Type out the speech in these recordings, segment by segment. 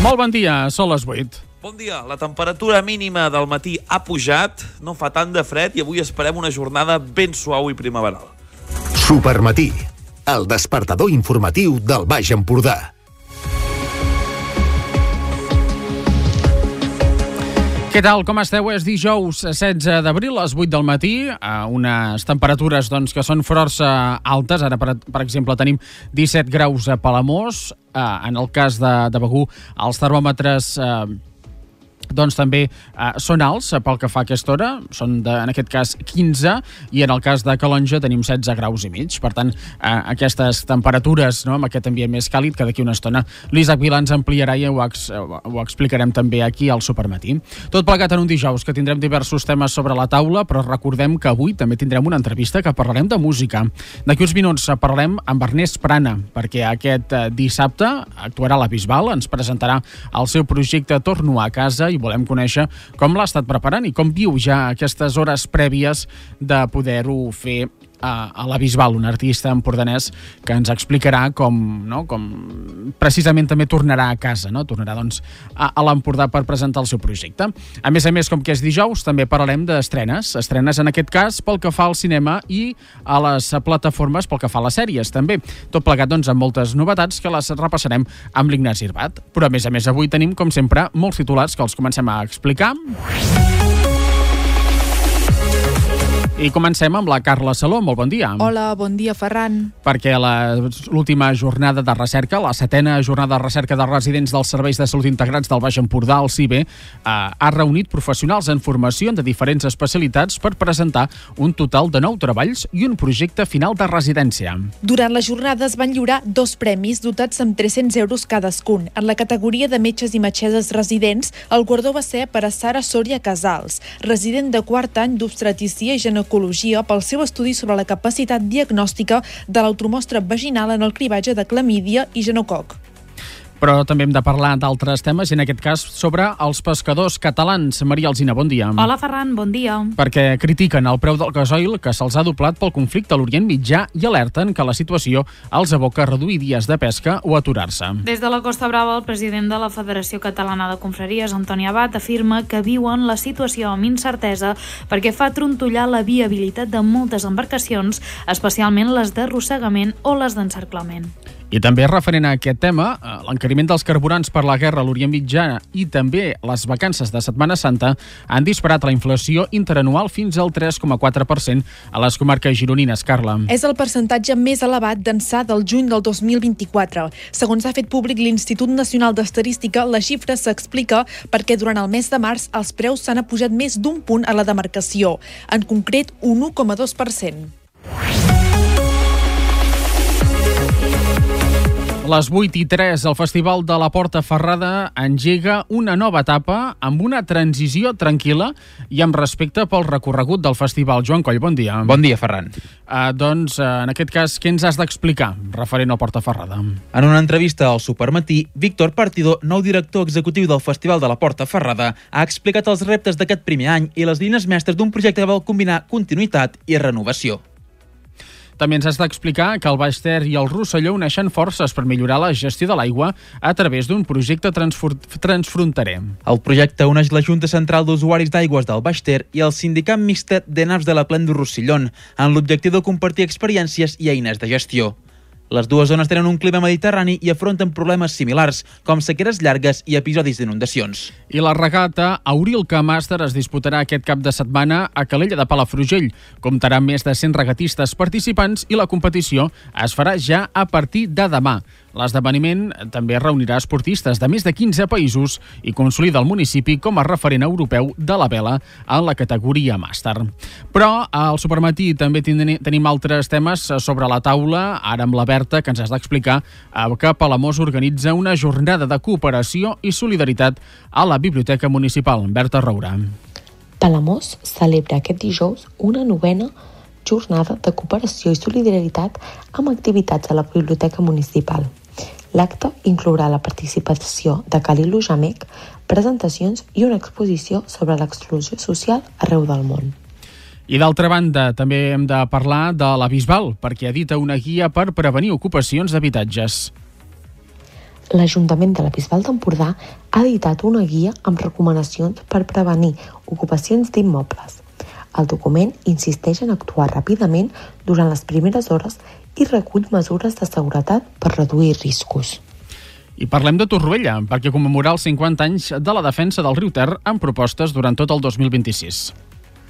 Molt bon dia, són les 8. Bon dia. La temperatura mínima del matí ha pujat, no fa tant de fred i avui esperem una jornada ben suau i primaveral. Supermatí, el despertador informatiu del Baix Empordà. Què tal, com esteu? És dijous 16 d'abril, a les 8 del matí, unes temperatures que són força altes. Ara, per exemple, tenim 17 graus a Palamós. En el cas de Begur, els termòmetres també són alts pel que fa a aquesta hora, són en aquest cas 15, i en el cas de Calonja tenim 16 graus i mig. Per tant, aquestes temperatures, amb aquest ambient més càlid, que d'aquí una estona l'Isaac Vilà ens ampliarà i ho explicarem també aquí al Supermatí. Tot plegat en un dijous que tindrem diversos temes sobre la taula, però recordem que avui també tindrem una entrevista que parlarem de música. D'aquí uns minuts parlarem amb Ernest Prana, perquè aquest dissabte actuarà a la Bisbal, ens presentarà el seu projecte Torno a casa i volem conèixer com l'ha estat preparant i com viu ja aquestes hores prèvies de poder-ho fer a la Bisbal, un artista empordanès que ens explicarà com precisament també tornarà a casa, tornarà a l'Empordà per presentar el seu projecte. A més, com que és dijous, també parlarem d'estrenes en aquest cas pel que fa al cinema i a les plataformes pel que fa a les sèries també. Tot plegat amb moltes novetats que les repassarem amb l'Ignasi Irbat. Però a més, avui tenim, com sempre, molts titulars que els comencem a explicar. I comencem amb la Carla Saló. Molt bon dia. Hola, bon dia, Ferran. Perquè l'última jornada de recerca, la 7ª jornada de recerca de residents dels Serveis de Salut Integrats del Baix Empordà, el CIBE, ha reunit professionals en formació de diferents especialitats per presentar un total de 9 treballs i un projecte final de residència. Durant la jornada es van lliurar 2 premis dotats amb 300 euros cadascun. En la categoria de metges i metgesses residents, el guardó va ser per a Sara Sòria Casals, resident de 4 any d'obstetricia i ginecologia, pel seu estudi sobre la capacitat diagnòstica de l'automostra vaginal en el cribatge de clamídia i genococ. Però també hem de parlar d'altres temes, i en aquest cas sobre els pescadors catalans. Maria Alsina, bon dia. Hola, Ferran, bon dia. Perquè critiquen el preu del gasoil que se'ls ha doblat pel conflicte a l'Orient Mitjà i alerten que la situació els aboca a reduir dies de pesca o aturar-se. Des de la Costa Brava, el president de la Federació Catalana de Confraries, Antoni Abat, afirma que viuen la situació amb incertesa perquè fa trontollar la viabilitat de moltes embarcacions, especialment les d'arrossegament o les d'encerclament. I també referent a aquest tema, l'encariment dels carburants per la guerra a l'Orient Mitjà i també les vacances de Setmana Santa han disparat la inflació interanual fins al 3,4% a les comarques gironines. Carla. És el percentatge més elevat d'ençà del juny del 2024. Segons ha fet públic l'Institut Nacional d'Estadística, la xifra s'explica perquè durant el mes de març els preus s'han apujat més d'un punt a la demarcació, en concret un 1,2%. Les 8:03, el Festival de la Porta Ferrada engega una nova etapa amb una transició tranquil·la i amb respecte pel recorregut del festival. Joan Coll, bon dia. Bon dia, Ferran. En aquest cas, què ens has d'explicar referent al Porta Ferrada? En una entrevista al Supermatí, Víctor Partidó, nou director executiu del Festival de la Porta Ferrada, ha explicat els reptes d'aquest primer any i les línies mestres d'un projecte que vol combinar continuïtat i renovació. També ens has d'explicar que el Baix Ter i el Rosselló uneixen forces per millorar la gestió de l'aigua a través d'un projecte transfronterer. El projecte uneix la Junta Central d'Usuaris d'Aigües del Baix Ter i el Sindicat Mixtet de Naps de la Plana de Rossellón, amb l'objectiu de compartir experiències i eines de gestió. Les dues zones tenen un clima mediterrani i afronten problemes similars, com sequeres llargues i episodis d'inundacions. I la regata Aurilca Màster es disputarà aquest cap de setmana a Calella de Palafrugell. Comptarà amb més de 100 regatistes participants i la competició es farà ja a partir de demà. L'esdeveniment també reunirà esportistes de més de 15 països i consolida el municipi com a referent europeu de la vela en la categoria màster. Però al Supermatí també tenim altres temes sobre la taula, ara amb la Berta, que ens has d'explicar que Palamós organitza una jornada de cooperació i solidaritat a la Biblioteca Municipal. Berta Roura. Palamós celebra aquest dijous una 9ª jornada de cooperació i solidaritat amb activitats a la Biblioteca Municipal. L'acte inclourà la participació de Calilo Jamec, presentacions i una exposició sobre l'exclusió social arreu del món. I d'altra banda, també hem de parlar de la Bisbal, perquè edita una guia per prevenir ocupacions d'habitatges. L'Ajuntament de la Bisbal d'Empordà ha editat una guia amb recomanacions per prevenir ocupacions d'immobles. El document insisteix en actuar ràpidament durant les primeres hores i recull mesures de seguretat per reduir riscos. I parlem de Torroella, perquè commemorar els 50 anys de la defensa del riu Ter amb propostes durant tot el 2026.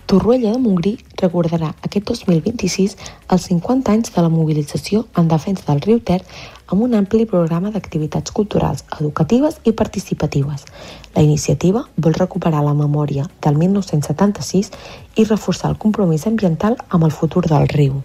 Torroella de Montgrí recordarà aquest 2026 els 50 anys de la mobilització en defensa del riu Ter amb un ampli programa d'activitats culturals, educatives i participatives. La iniciativa vol recuperar la memòria del 1976 i reforçar el compromís ambiental amb el futur del riu.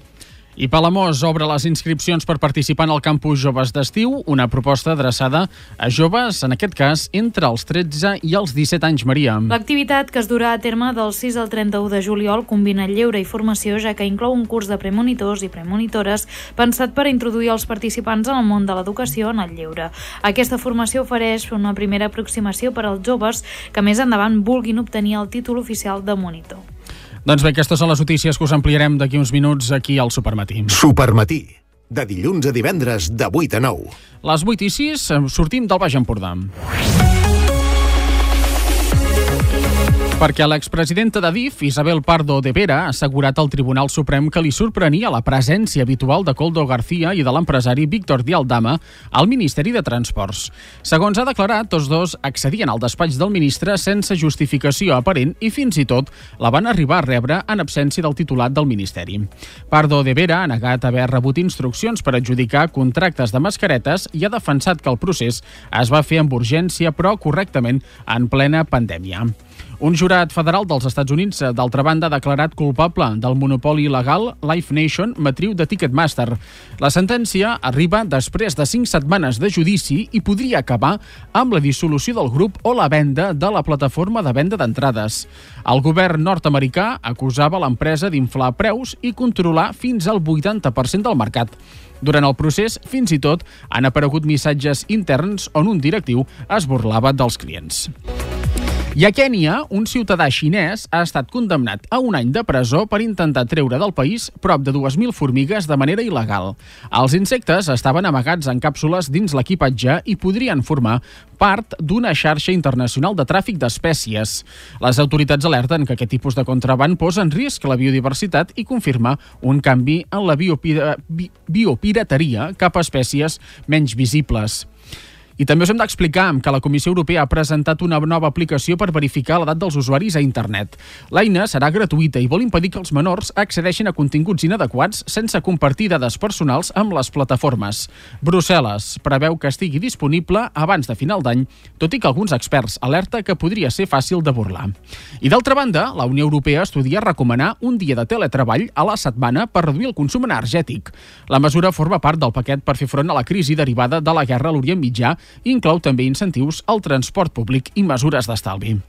I Palamós obre les inscripcions per participar en el Campus Joves d'Estiu, una proposta adreçada a joves, en aquest cas, entre els 13 i els 17 anys, Maria. L'activitat, que es durà a terme del 6 al 31 de juliol, combina lleure i formació, ja que inclou un curs de premonitors i premonitores pensat per introduir els participants en el món de l'educació en el lleure. Aquesta formació ofereix una primera aproximació per als joves que més endavant vulguin obtenir el títol oficial de monitor. Doncs bé, aquestes són les notícies que us ampliarem d'aquí uns minuts aquí al Supermatí. Supermatí, de dilluns a divendres de 8 a 9. Les 8:06, sortim del Baix Empordà. Perquè l'expresidenta d'Adif, Isabel Pardo de Vera, ha assegurat al Tribunal Suprem que li sorprenia la presència habitual de Koldo García i de l'empresari Víctor Dialdama al Ministeri de Transports. Segons ha declarat, tots dos accedien al despatx del ministre sense justificació aparent i fins i tot la van arribar a rebre en absència del titulat del Ministeri. Pardo de Vera ha negat haver rebut instruccions per adjudicar contractes de mascaretes i ha defensat que el procés es va fer amb urgència però correctament en plena pandèmia. Un jurat federal dels Estats Units, d'altra banda, ha declarat culpable del monopoli il·legal Live Nation, matriu de Ticketmaster. La sentència arriba després de 5 setmanes de judici i podria acabar amb la dissolució del grup o la venda de la plataforma de venda d'entrades. El govern nord-americà acusava l'empresa d'inflar preus i controlar fins al 80% del mercat. Durant el procés, fins i tot, han aparegut missatges interns on un directiu es burlava dels clients. I a Kènia, un ciutadà xinès ha estat condemnat a 1 any de presó per intentar treure del país prop de 2.000 formigues de manera il·legal. Els insectes estaven amagats en càpsules dins l'equipatge i podrien formar part d'una xarxa internacional de tràfic d'espècies. Les autoritats alerten que aquest tipus de contraban posa en risc la biodiversitat i confirma un canvi en la biopirateria cap a espècies menys visibles. I també us hem d'explicar que la Comissió Europea ha presentat una nova aplicació per verificar l'edat dels usuaris a internet. L'eina serà gratuïta i vol impedir que els menors accedeixin a continguts inadequats sense compartir dades personals amb les plataformes. Brussel·les preveu que estigui disponible abans de final d'any, tot i que alguns experts alerta que podria ser fàcil de burlar. I d'altra banda, la Unió Europea estudia recomanar un dia de teletreball a la setmana per reduir el consum energètic. La mesura forma part del paquet per fer front a la crisi derivada de la guerra a l'Orient Mitjà i inclou també incentius al transport públic i mesures d'estalvi.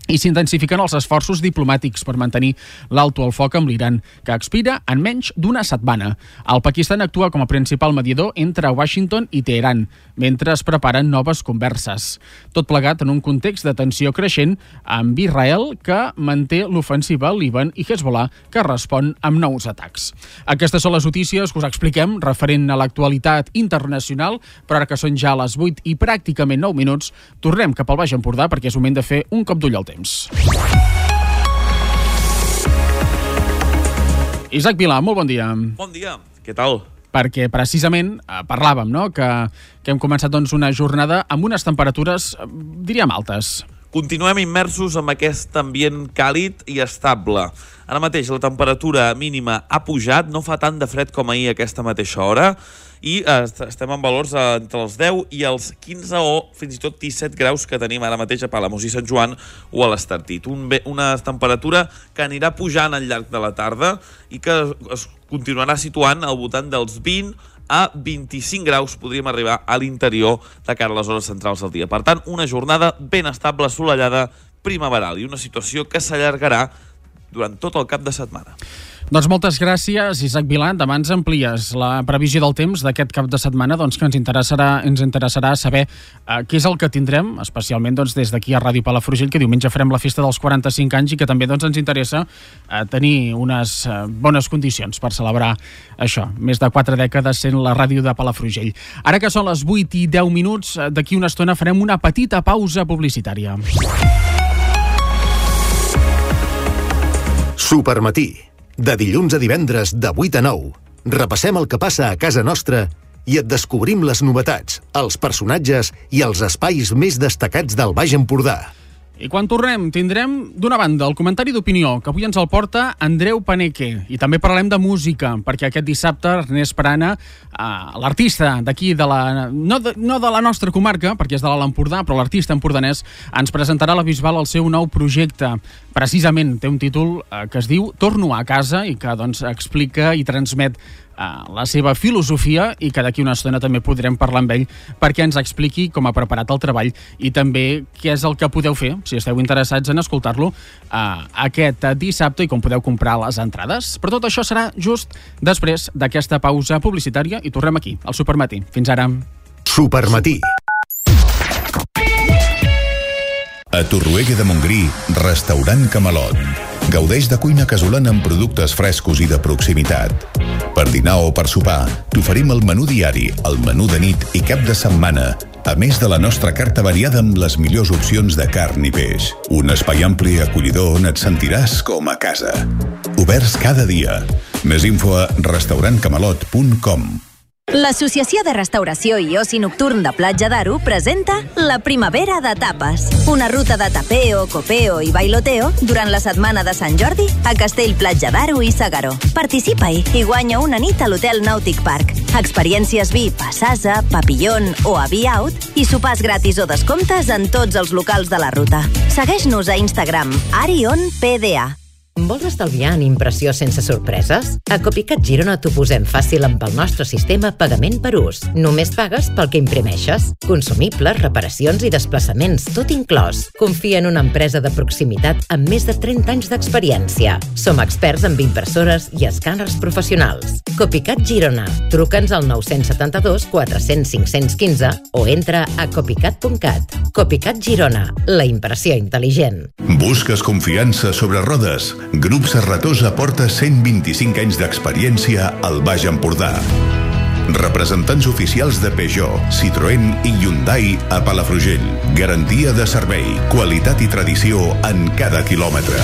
I s'intensifiquen els esforços diplomàtics per mantenir l'alto al foc amb l'Iran, que expira en menys d'1 setmana. El Pakistan actua com a principal mediador entre Washington i Teheran, mentre es preparen noves converses. Tot plegat en un context de tensió creixent amb Israel, que manté l'ofensiva al Líban, i Hezbollah, que respon amb nous atacs. Aquestes són les notícies que us expliquem referent a l'actualitat internacional, però ara que són ja les 8 i pràcticament 9 minuts, tornem cap al Baix Empordà perquè és moment de fer un cop d'ull al temps. Isaac Vilà, molt bon dia. Bon dia, què tal? Perquè precisament parlàvem, no?, que hem començat una jornada amb unes temperatures, diríem, altes. Continuem immersos en aquest ambient càlid i estable. Ara mateix la temperatura mínima ha pujat, no fa tant de fred com ahir a aquesta mateixa hora, i estem en valors entre els 10 i els 15 o fins i tot 17 graus que tenim ara mateix a Palamós i Sant Joan o a l'Estartit. Una temperatura que anirà pujant al llarg de la tarda i que es continuarà situant al voltant dels 20 a 25 graus podríem arribar a l'interior de cara a les hores centrals del dia. Per tant, una jornada ben estable, assolellada, primaveral, i una situació que s'allargarà durant tot el cap de setmana. Doncs moltes gràcies, Isaac Vilà. Demà ens amplies la previsió del temps d'aquest cap de setmana, doncs, que ens interessarà saber què és el que tindrem, especialment doncs, des d'aquí a Ràdio Palafrugell, que diumenge farem la festa dels 45 anys i que també doncs, ens interessa tenir unes bones condicions per celebrar això. Més de 4 dècades sent la ràdio de Palafrugell. Ara que són les 8:10, d'aquí una estona farem una petita pausa publicitària. Supermatí. De dilluns a divendres, de 8 a 9. Repassem el que passa a casa nostra i et descobrim les novetats, els personatges i els espais més destacats del Baix Empordà. I quan tornem, tindrem, d'una banda, el comentari d'opinió, que avui ens el porta Andreu Paneque. I també parlem de música, perquè aquest dissabte Ernest Parana, l'artista d'aquí, no de la nostra comarca, perquè és de l'Alt Empordà, però l'artista empordanès, ens presentarà a la Bisbal el seu nou projecte. Precisament té un títol que es diu Torno a casa i que doncs, explica i transmet la seva filosofia i que d'aquí una estona també podrem parlar amb ell perquè ens expliqui com ha preparat el treball i també què és el que podeu fer, si esteu interessats en escoltar-lo, aquest dissabte i com podeu comprar les entrades. Però tot això serà just després d'aquesta pausa publicitària i tornem aquí, al Supermatí. Fins ara. Supermatí. A Torroella de Montgrí, restaurant Camalot. Gaudeix de cuina casolana amb productes frescos i de proximitat. Per dinar o per sopar, t'oferim el menú diari, el menú de nit i cap de setmana, a més de la nostra carta variada amb les millors opcions de carn i peix. Un espai ampli i acollidor on et sentiràs com a casa. Oberts cada dia. Més info a restaurantcamalot.com. L'Associació de Restauració i Oci Nocturn de Platja d'Aro presenta la Primavera de Tapes. Una ruta de tapeo, copeo i bailoteo durant la setmana de Sant Jordi a Castell Platja d'Aro i Segaró. Participa-hi i guanya una nit a l'Hotel Nàutic Park. Experiències VIP a Sasa, Papillon o a Be-Out i sopars gratis o descomptes en tots els locals de la ruta. Segueix-nos a Instagram, ArionPDA. Vols estalviar en impressió sense sorpreses? A Copycat Girona t'ho posem fàcil amb el nostre sistema Pagament per ús. Només pagues pel que imprimeixes. Consumibles, reparacions i desplaçaments, tot inclòs. Confia en una empresa de proximitat amb més de 30 anys d'experiència. Som experts en impressores i escàners professionals. Copycat Girona. Truca'ns al 972 400 515 o entra a copycat.cat. Copycat Girona. La impressió intel·ligent. Busques confiança sobre rodes? Grup Serratosa porta 125 anys d'experiència al Baix Empordà. Representants oficials de Peugeot, Citroën i Hyundai a Palafrugell. Garantia de servei, qualitat i tradició en cada quilòmetre.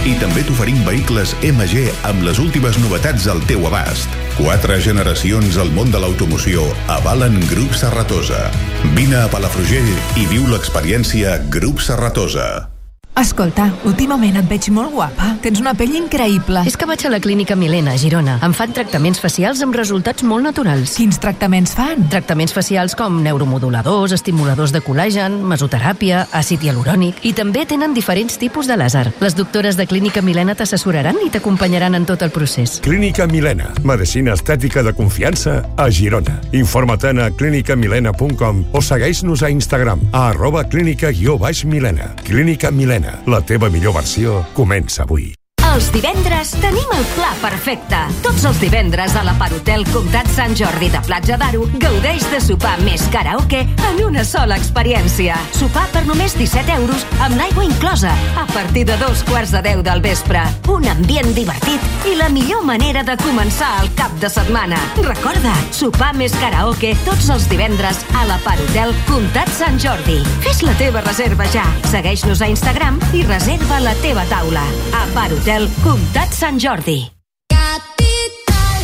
I també t'oferim vehicles MG amb les últimes novetats al teu abast. 4 generacions al món de l'automoció avalen Grup Serratosa. Vine a Palafrugell i viu l'experiència Grup Serratosa. Escolta, últimament et veig molt guapa. Tens una pell increïble. És que vaig a la Clínica Milena, a Girona. Em fan tractaments facials amb resultats molt naturals. Quins tractaments fan? Tractaments facials com neuromoduladors, estimuladors de col·làgen, mesoteràpia, àcid hialurònic i també tenen diferents tipus de làser. Les doctores de Clínica Milena t'assessoraran i t'acompanyaran en tot el procés. Clínica Milena, medicina estètica de confiança a Girona. Informa't a clinicamilena.com o segueix-nos a Instagram a @clínica_milena. Clínica Milena. La teva millor versió comença avui. Els divendres tenim el pla perfecte. Tots els divendres a la Hotel Comtat Sant Jordi de Platja d'Aro gaudeix de sopar més karaoke en una sola experiència. Sopar per només 17 euros amb l'aigua inclosa a partir de 9:15 del vespre. Un ambient divertit i la millor manera de començar el cap de setmana. Recorda, sopar més karaoke tots els divendres a la Hotel Comtat Sant Jordi. Fes la teva reserva ja. Segueix-nos a Instagram i reserva la teva taula. A Hotel Comtat Sant Jordi. Capital.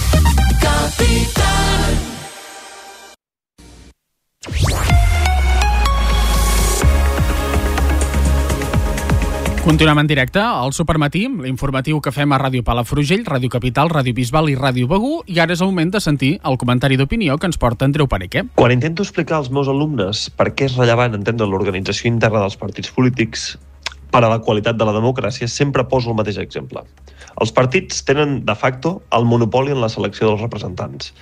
Continuem en directe al Supermatí, l'informatiu que fem a Ràdio Palafrugell, Ràdio Capital, Ràdio Bisbal i Ràdio Begur, i ara és el moment de sentir el comentari d'opinió que ens porta Andreu Paneque. Quan intento explicar als meus alumnes per què és rellevant entendre l'organització interna dels partits polítics per a la qualitat de la democràcia, sempre poso el mateix exemple. Els partits tenen, de facto, el monopoli en la selecció dels representants.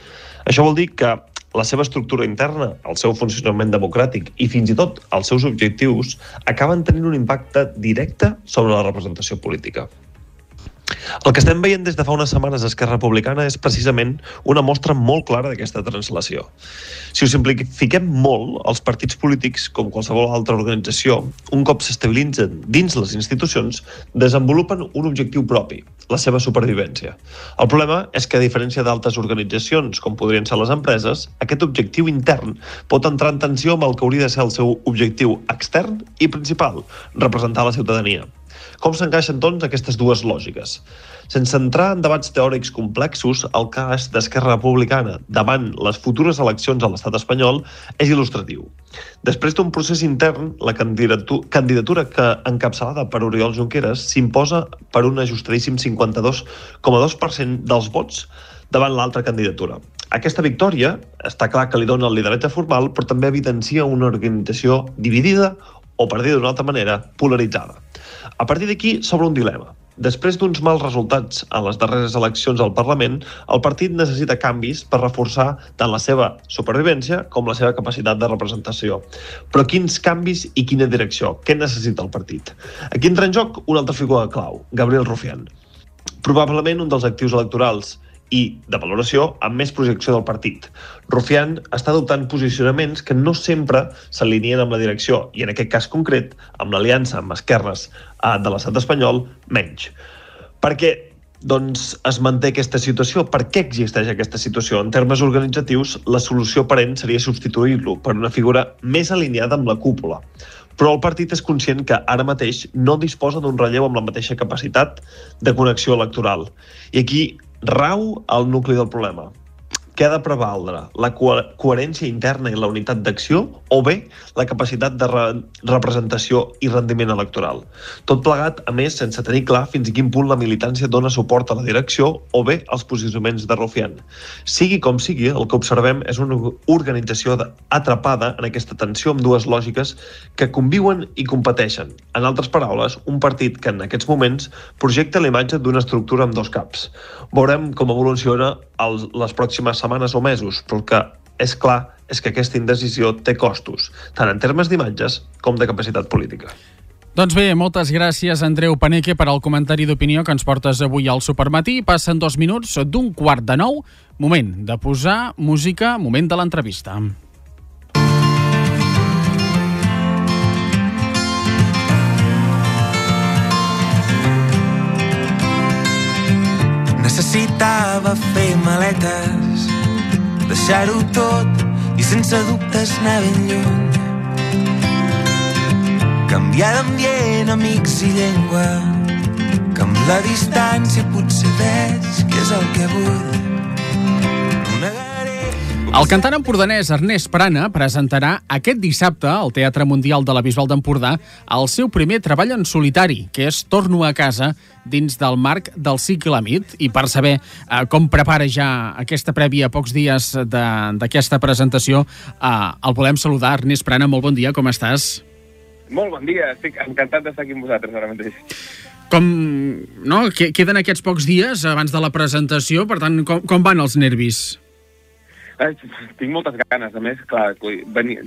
Això vol dir que la seva estructura interna, el seu funcionament democràtic i fins i tot els seus objectius acaben tenint un impacte directe sobre la representació política. El que estem veient des de fa unes setmanes a Esquerra Republicana és precisament una mostra molt clara d'aquesta translació. Si ho simplifiquem molt, els partits polítics, com qualsevol altra organització, un cop s'estabilitzen dins les institucions, desenvolupen un objectiu propi, la seva supervivència. El problema és que, a diferència d'altres organitzacions, com podrien ser les empreses, aquest objectiu intern pot entrar en tensió amb el que hauria de ser el seu objectiu extern i principal, representar la ciutadania. Com s'encaixen, doncs, aquestes dues lògiques? Sense entrar en debats teòrics complexos, el cas d'Esquerra Republicana davant les futures eleccions a l'estat espanyol és il·lustratiu. Després d'un procés intern, la candidatura que encapçalada per Oriol Junqueras s'imposa per un ajustadíssim 52,2% dels vots davant l'altra candidatura. Aquesta victòria està clar que li dona el lideratge formal, però també evidencia una organització dividida o, per dir d'una altra manera, polaritzada. A partir d'aquí s'obre un dilema. Després d'uns mals resultats en les darreres eleccions al Parlament, el partit necessita canvis per reforçar tant la seva supervivència com la seva capacitat de representació. Però quins canvis i quina direcció? Què necessita el partit? Aquí entra en joc una altra figura clau, Gabriel Rufián. Probablement un dels actius electorals i de valoració amb més projecció del partit. Rufián està adoptant posicionaments que no sempre s'alineen amb la direcció i, en aquest cas concret, amb l'aliança amb esquerres de l'estat espanyol, menys. Per què es manté aquesta situació? Per què existeix aquesta situació? En termes organitzatius, la solució aparent seria substituir-lo per una figura més alineada amb la cúpula. Però el partit és conscient que ara mateix no disposa d'un relleu amb la mateixa capacitat de connexió electoral. I aquí rau el nucli del problema. Què ha de prevaldre? La coherència interna i la unitat d'acció o bé la capacitat de representació i rendiment electoral? Tot plegat, a més, sense tenir clar fins a quin punt la militància dona suport a la direcció o bé als posicionaments de Rufián. Sigui com sigui, el que observem és una organització atrapada en aquesta tensió amb dues lògiques que conviuen i competeixen. En altres paraules, un partit que en aquests moments projecta la imatge d'una estructura amb dos caps. Veurem com evoluciona les pròximes setmanes o mesos, però el que és clar és que aquesta indecisió té costos, tant en termes d'imatges com de capacitat política. Doncs bé, moltes gràcies, Andreu Paneque, per al comentari d'opinió que ens portes avui al Supermatí. Passen 2 minuts d'un 8:45. Moment de posar música, moment de l'entrevista. Necessitava fer maletes, deixar-ho tot i sense dubtes anar ben lluny. Canviar d'ambient, amics i llengua, que amb la distància potser veig que és el que vull. El cantant empordanès Ernest Prana presentarà aquest dissabte al Teatre Mundial de la Bisbal d'Empordà el seu primer treball en solitari, que és Torno a casa, dins del marc del cicle MIT. I per saber com prepara ja aquesta prèvia a pocs dies d'aquesta presentació, el volem saludar. Ernest Prana, molt bon dia, com estàs? Molt bon dia, estic encantat d'estar aquí amb vosaltres ara mateix. Queden aquests pocs dies abans de la presentació, per tant, com van els nervis? Tinc moltes ganes, a més, clar,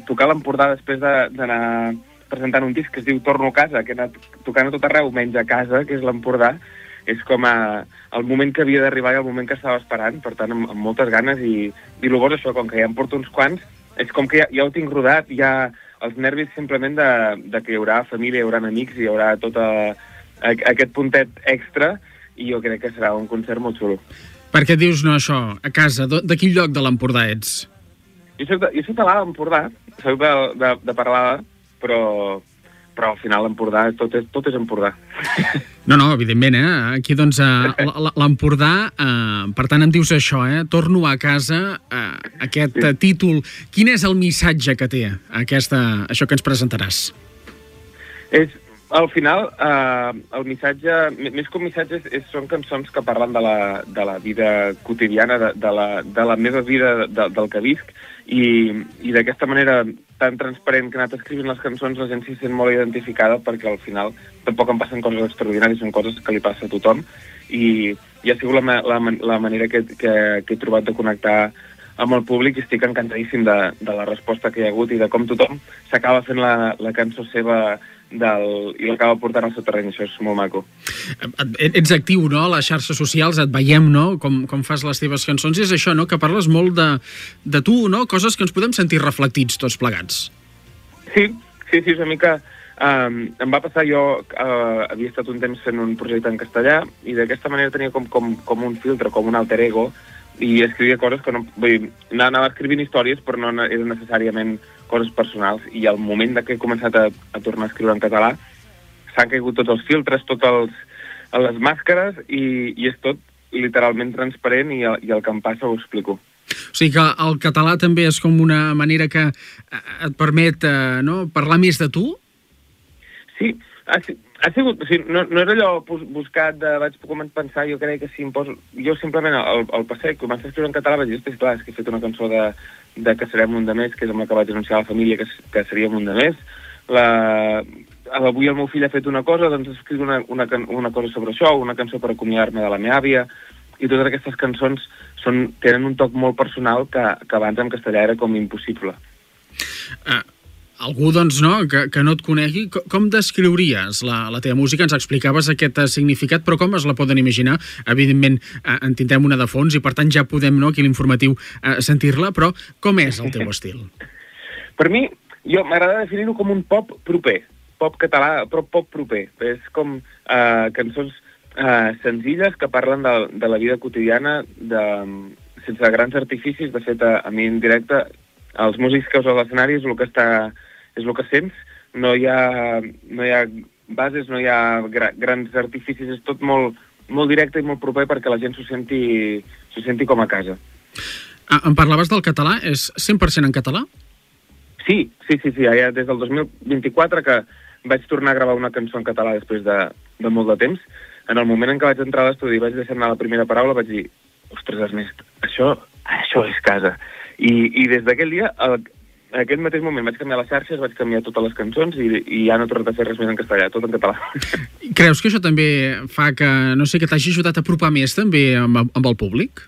tocar l'Empordà després d'anar presentant un disc que es diu Torno a casa, que he anat tocant a tot arreu, menys a casa, que és l'Empordà, és com el moment que havia d'arribar i el moment que estava esperant, per tant, amb moltes ganes, i el bo és això, com que ja em porto uns quants, és com que ja ho tinc rodat, ja els nervis simplement de que hi haurà família, hi haurà amics, hi haurà tot aquest puntet extra, i jo crec que serà un concert molt xulo. Per què dius no això, a casa? De quin lloc de l'Empordà ets? Jo soc de l'Empordà, soc de Parlada, però al final l'Empordà, tot és Empordà. No, evidentment, aquí doncs l'Empordà, per tant em dius això, Torno a casa, aquest títol. Quin és el missatge que té això que ens presentaràs? Al final, el missatge, més que un missatge, són cançons que parlen de la vida quotidiana, de la meva vida, del que visc, i d'aquesta manera tan transparent que he anat escrivint les cançons, la gent s'hi sent molt identificada, perquè al final tampoc em passen coses extraordinàries, són coses que li passa a tothom, i ha sigut la manera que he trobat de connectar amb el públic i estic encantadíssim de la resposta que hi ha hagut i de com tothom s'acaba fent la cançó seva i l'acaba portant al seu terreny. Això és molt maco. Ets actiu, no?, a les xarxes socials, et veiem, no?, com fas les teves cançons, i és això, no?, que parles molt de tu, no?, coses que ens podem sentir reflectits tots plegats. Sí, una mica. Em va passar, jo havia estat un temps fent un projecte en castellà i d'aquesta manera tenia com un filtre, com un alter ego, i escrivia coses que no... Vull dir, anava escrivint històries, però no eren necessàriament coses personals, i al moment que he començat a tornar a escriure en català s'han caigut tots els filtres, totes les màscares, i és tot literalment transparent, i el que em passa ho explico. O sigui que el català també és com una manera que et permet parlar més de tu? Sí, ha sigut, o sigui, no és allò buscat vaig pensar, jo crec que si em poso... Jo simplement al passeig, començar a escriure en català, vaig dir, clar, és que he fet una cançó de que serem un de més, que és amb la que vaig anunciar a la família que seríem un de més. Avui el meu fill ha fet una cosa, doncs escric una cosa sobre això, una cançó per acomiadar-me de la meva àvia, i totes aquestes cançons tenen un toc molt personal que abans en castellà era com impossible. Algú, doncs, no, que no et conegui, com descriuries la teva música? Ens explicaves aquest significat, però com es la poden imaginar? Evidentment, en tindrem una de fons i, per tant, ja podem, no, aquí a l'Informatiu, sentir-la, però com és el teu estil? Per mi, m'agrada definir-ho com un pop proper, pop català, però pop proper. És com cançons senzilles que parlen de la vida quotidiana, sense grans artificis. De fet, a mi en directe, els músics que us a l'escenari és el que sents, no hi ha bases, no hi ha grans artificis, és tot molt, molt directe i molt proper perquè la gent s'ho senti com a casa. Em parlaves del català, és 100% en català? Sí, ja des del 2024 que vaig tornar a gravar una cançó en català després de molt de temps. En el moment en què vaig entrar a l'estudi i vaig deixar anar la primera paraula, vaig dir, ostres, Ernest, això és casa. I des d'aquell dia, en aquest mateix moment vaig canviar les xarxes, vaig canviar totes les cançons i ja no he tornat a fer res més en castellà, tot en català. Creus que això també fa que, no sé, que t'hagi ajudat a apropar més també amb el públic?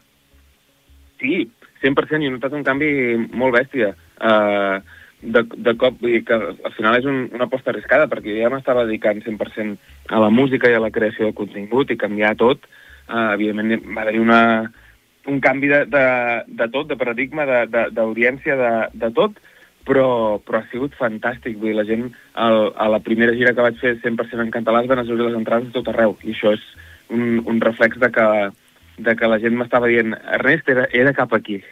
Sí, 100%, i he notat un canvi molt bèstia. De cop, vull dir que al final és una aposta arriscada, perquè ja m'estava dedicant 100% a la música i a la creació de contingut i canviar tot. Evidentment va haver-hi un canvi de tot, de paradigma, d'audiència, de tot, però ha sigut fantàstic. Vull dir, la gent, a la primera gira que vaig fer 100% en català es van assolir les entrades de tot arreu, i això és un reflex de que la gent m'estava dient, Ernest, era cap aquí.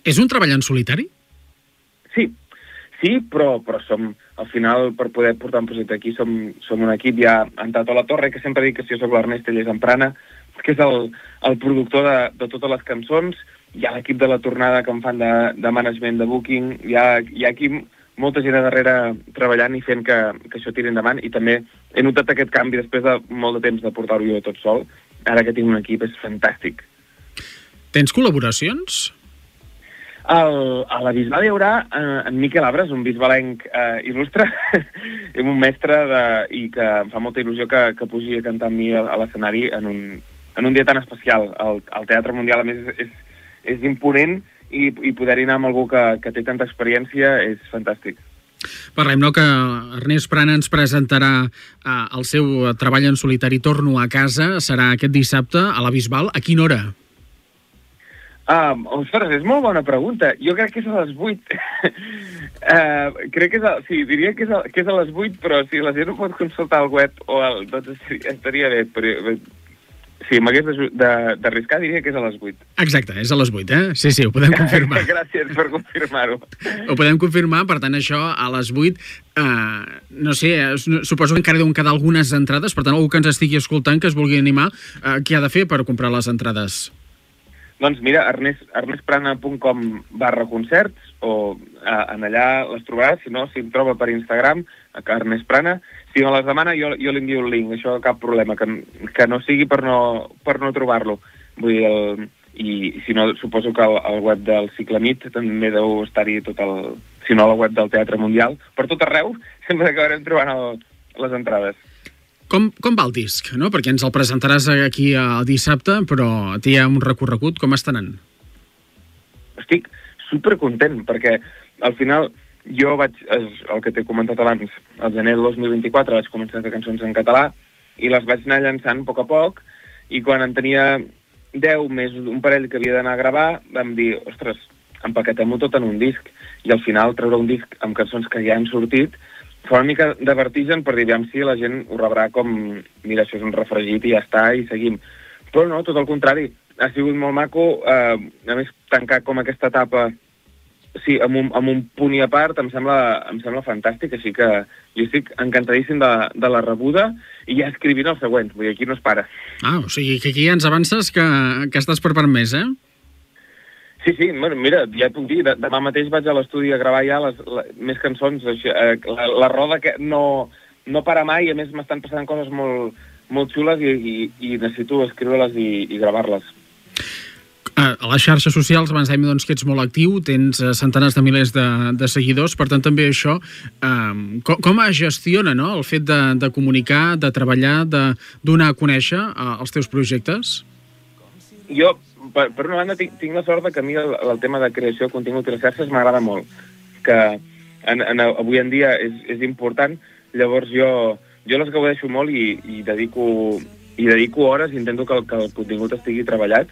És un treball en solitari? Sí, però som, al final, per poder portar un projecte aquí, som un equip. Hi ha en Tato La Torre, que sempre dic que si jo soc l'Ernest, ell és en Prana, que és el productor de totes les cançons. Hi ha l'equip de La Tornada que em fan de management, de booking. Hi ha aquí molta gent a darrere treballant i fent que això tiri endavant. I també he notat aquest canvi després de molt de temps de portar-ho jo tot sol. Ara que tinc un equip és fantàstic. Tens col·laboracions? A la Bisbal hi haurà en Miquel Abres, un bisbalenc il·lustre, un mestre i que em fa molta il·lusió que pugi a cantar amb mi a l'escenari en un dia tan especial. El Teatre Mundial, a més, és imponent i poder-hi anar amb algú que té tanta experiència és fantàstic. Parlem, no?, que Ernest Prana ens presentarà el seu treball en solitari Torno a casa. Serà aquest dissabte a la Bisbal. A quina hora? Ostres, és molt bona pregunta. Jo crec que és a les 8. Diria que és a les 8, però si la gent ho pot consultar al web doncs estaria bé. Però, si m'hagués d'arriscar, diria que és a les 8. Exacte, és a les 8, eh? Sí, ho podem confirmar. Gràcies per confirmar-ho. Ho podem confirmar, per tant, això a les 8, no sé, suposo que encara deuen quedar algunes entrades, per tant, algú que ens estigui escoltant, que es vulgui animar, què ha de fer per comprar les entrades? Doncs mira, ernestprana.com/concerts, o en allà les trobaràs. Si no, si em troba per Instagram, Ernest Prana. Si me les demana, jo li envio el link, això cap problema, que no sigui per no trobar-lo. Vull dir, i si no, suposo que al web del Cicle Nit també deu estar-hi tot si no al web del Teatre Mundial, per tot arreu, sempre acabarem trobant les entrades. Com va el disc, no? Perquè ens el presentaràs aquí el dissabte, però té un recorregut. Com està anant? estic supercontent, perquè al final jo vaig, el que t'he comentat abans, al gener del 2024 vaig començar a fer cançons en català i les vaig anar llançant a poc, i quan en tenia 10 més un parell que havia d'anar a gravar, vam dir, ostres, empaquetem-ho tot en un disc, i al final treure un disc amb cançons que ja han sortit fa una mica de vertigen per dir, aviam si la gent ho rebrà com, mira, això és un refregit i ja està, i seguim. Però no, tot el contrari, ha sigut molt maco, a més, tancar com aquesta etapa sí, amb un punt i a part em sembla fantàstic, així que jo estic encantadíssim de la rebuda i ja escrivint el següent, vull dir, aquí no es para. O sigui que aquí ja ens avances que estàs preparant més, Sí, bueno, mira, ja et puc dir, demà mateix vaig a l'estudi a gravar ja més cançons, la roda que no para mai, a més m'estan passant coses molt xules i necessito escriure-les i gravar-les. A les xarxes socials, abans dèiem que ets molt actiu, tens centenars de milers de seguidors, per tant també això, com es gestiona el fet de comunicar, de treballar, de donar a conèixer els teus projectes? Jo, per una banda, tinc la sort que a mi el tema de creació de contingut i les xarxes m'agrada molt, que avui en dia és important, llavors jo les gaudeixo molt i dedico hores, intento que el contingut estigui treballat,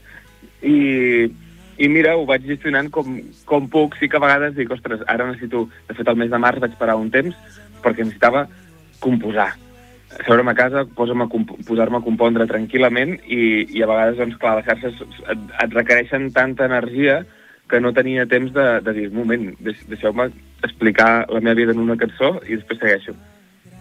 i mira, ho vaig gestionant com puc. Sí que a vegades dic, ostres, ara necessito... De fet, el mes de març vaig parar un temps perquè necessitava composar. Seure'm a casa, posar-me a compondre tranquil·lament i a vegades, doncs, clar, les xarxes et requereixen tanta energia que no tenia temps de dir, un moment, deixeu-me explicar la meva vida en una cançó i després segueixo.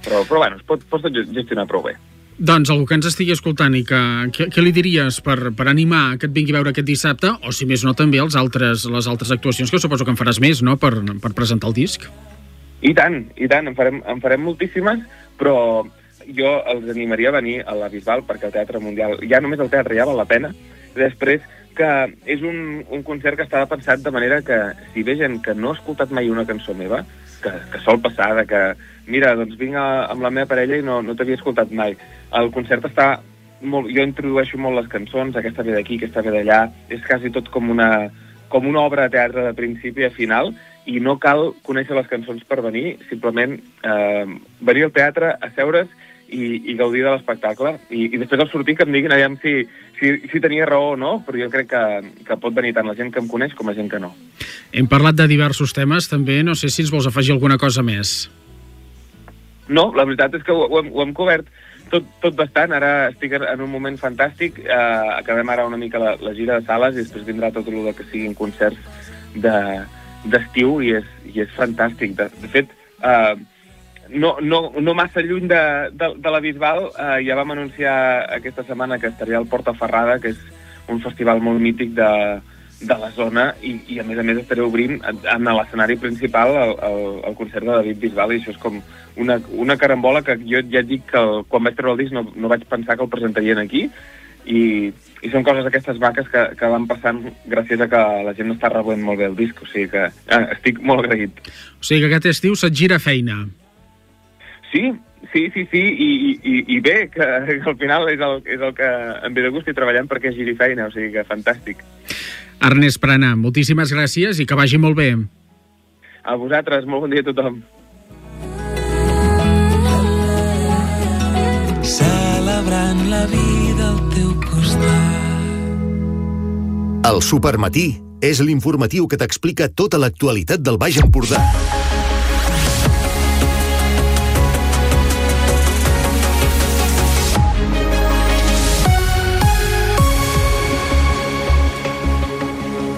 Però bueno, es pot tot gestionar prou bé. Doncs algú que ens estigui escoltant i què li diries per animar que et vingui a veure aquest dissabte, o si més no també les altres actuacions que suposo que en faràs més, no?, per presentar el disc? I tant, en farem moltíssimes, però jo els animaria a venir a la Bisbal perquè el Teatre Mundial, ja només el teatre ja val la pena, després que és un concert que estava pensat de manera que si ve gent que no ha escoltat mai una cançó meva, que sol passar, que mira, doncs vinc amb la meva parella i no t'havia escoltat mai. El concert està molt... Jo introdueixo molt les cançons, aquesta ve d'aquí, aquesta ve d'allà, és quasi tot com una obra de teatre de principi a final, i no cal conèixer les cançons per venir, simplement venir al teatre, asseure's i gaudir de l'espectacle. I després al sortir que em diguin aviam si tenia raó o no, però jo crec que pot venir tant la gent que em coneix com la gent que no. Hem parlat de diversos temes, també. No sé si ens vols afegir alguna cosa més. No, la veritat és que ho hem cobert tot bastant. Ara estic en un moment fantàstic. Acabem ara una mica la gira de sales i després vindrà tot el que siguin concerts d'estiu i és fantàstic. De fet, no massa lluny de la Bisbal, ja vam anunciar aquesta setmana que estaria al Portaferrada, que és un festival molt mític de la zona, i a més estaré obrint en l'escenari principal el concert de David Bisbal, i això és com una carambola que jo ja et dic que quan vaig treure el disc no vaig pensar que el presentarien aquí, i són coses aquestes maques que van passant gràcies a que la gent està rebent molt bé el disc, o sigui que estic molt agraït. O sigui que aquest estiu se't gira feina. Sí, i bé, que al final és el que em ve de gust i treballant perquè giri feina, o sigui que fantàstic. Ernest Prana, moltíssimes gràcies i que vagi molt bé. A vosaltres, molt bon dia a tothom. Celebrant la vida al teu costat. El Supermatí és l'informatiu que t'explica tota l'actualitat del Baix Empordà.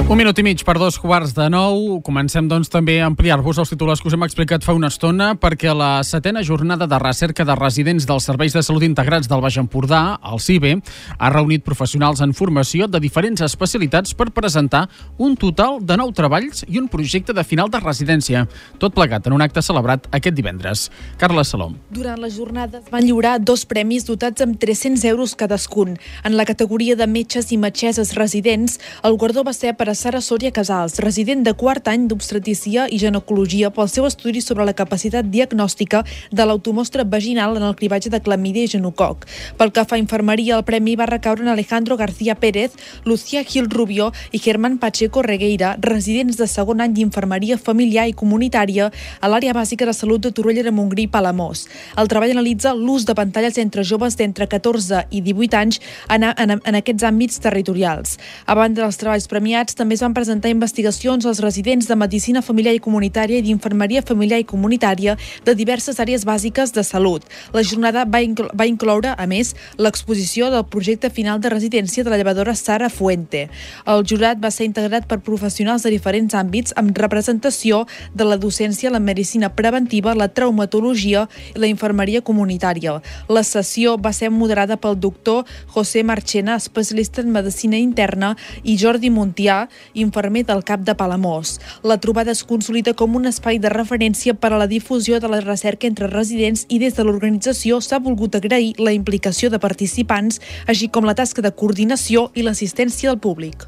Un minut i mig per 8:45. Comencem, doncs, també a ampliar-vos els titulars que us hem explicat fa una estona, perquè la 7a jornada de recerca de residents dels Serveis de Salut Integrats del Baix Empordà, el CIBE, ha reunit professionals en formació de diferents especialitats per presentar un total de 9 treballs i un projecte de final de residència. Tot plegat en un acte celebrat aquest divendres. Carla Salom. Durant la jornada es van lliurar 2 premis dotats amb 300 euros cadascun. En la categoria de metges i metgesses residents, el guardó va ser per a Sara Sòria Casals, resident de quart any d'obstetricia i ginecologia pel seu estudi sobre la capacitat diagnòstica de l'automostra vaginal en el cribatge de clamídia i genococ. Pel que fa a infermeria, el premi va recaure en Alejandro García Pérez, Lucía Gil Rubio i Germán Pacheco Regueira, residents de segon any d'infermeria familiar i comunitària a l'àrea bàsica de salut de Torroella de Montgrí i Palamós. El treball analitza l'ús de pantalles entre joves d'entre 14 i 18 anys en aquests àmbits territorials. A banda dels treballs premiats, també es van presentar investigacions als residents de medicina familiar i comunitària i d'infermeria familiar i comunitària de diverses àrees bàsiques de salut. La jornada va incloure, a més, l'exposició del projecte final de residència de la llevadora Sara Fuente. El jurat va ser integrat per professionals de diferents àmbits amb representació de la docència, la medicina preventiva, la traumatologia i la infermeria comunitària. La sessió va ser moderada pel doctor José Marchena, especialista en medicina interna, i Jordi Montià, infermer del CAP de Palamós. La trobada es consolida com un espai de referència per a la difusió de la recerca entre residents i des de l'organització s'ha volgut agrair la implicació de participants, així com la tasca de coordinació i l'assistència del públic.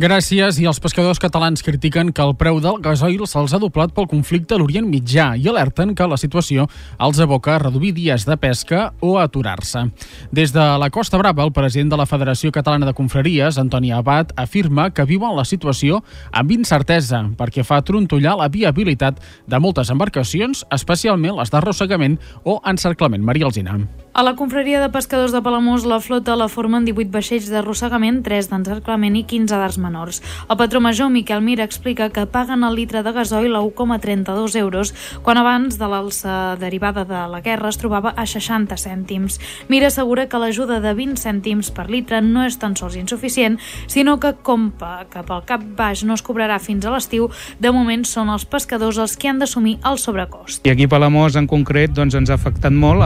Gràcies. I els pescadors catalans critiquen que el preu del gasoil se'ls ha doblat pel conflicte a l'Orient Mitjà i alerten que la situació els aboca a reduir dies de pesca o a aturar-se. Des de la Costa Brava, el president de la Federació Catalana de Confraries, Antoni Abad, afirma que viuen la situació amb incertesa perquè fa trontollar la viabilitat de moltes embarcacions, especialment les d'arrossegament o encerclament. Maria Alsina. A la confraria de pescadors de Palamós, la flota la formen 18 vaixells d'arrossegament, 3 d'encerclament i 15 d'arts menors. El patró major, Miquel Mir, explica que paguen el litre de gasoil a 1,32 euros, quan abans de l'alça derivada de la guerra es trobava a 60 cèntims. Mir assegura que l'ajuda de 20 cèntims per litre no és tan sols insuficient, sinó que com que pel cap baix no es cobrarà fins a l'estiu, de moment són els pescadors els que han d'assumir el sobrecost. I aquí a Palamós, en concret, ens ha afectat molt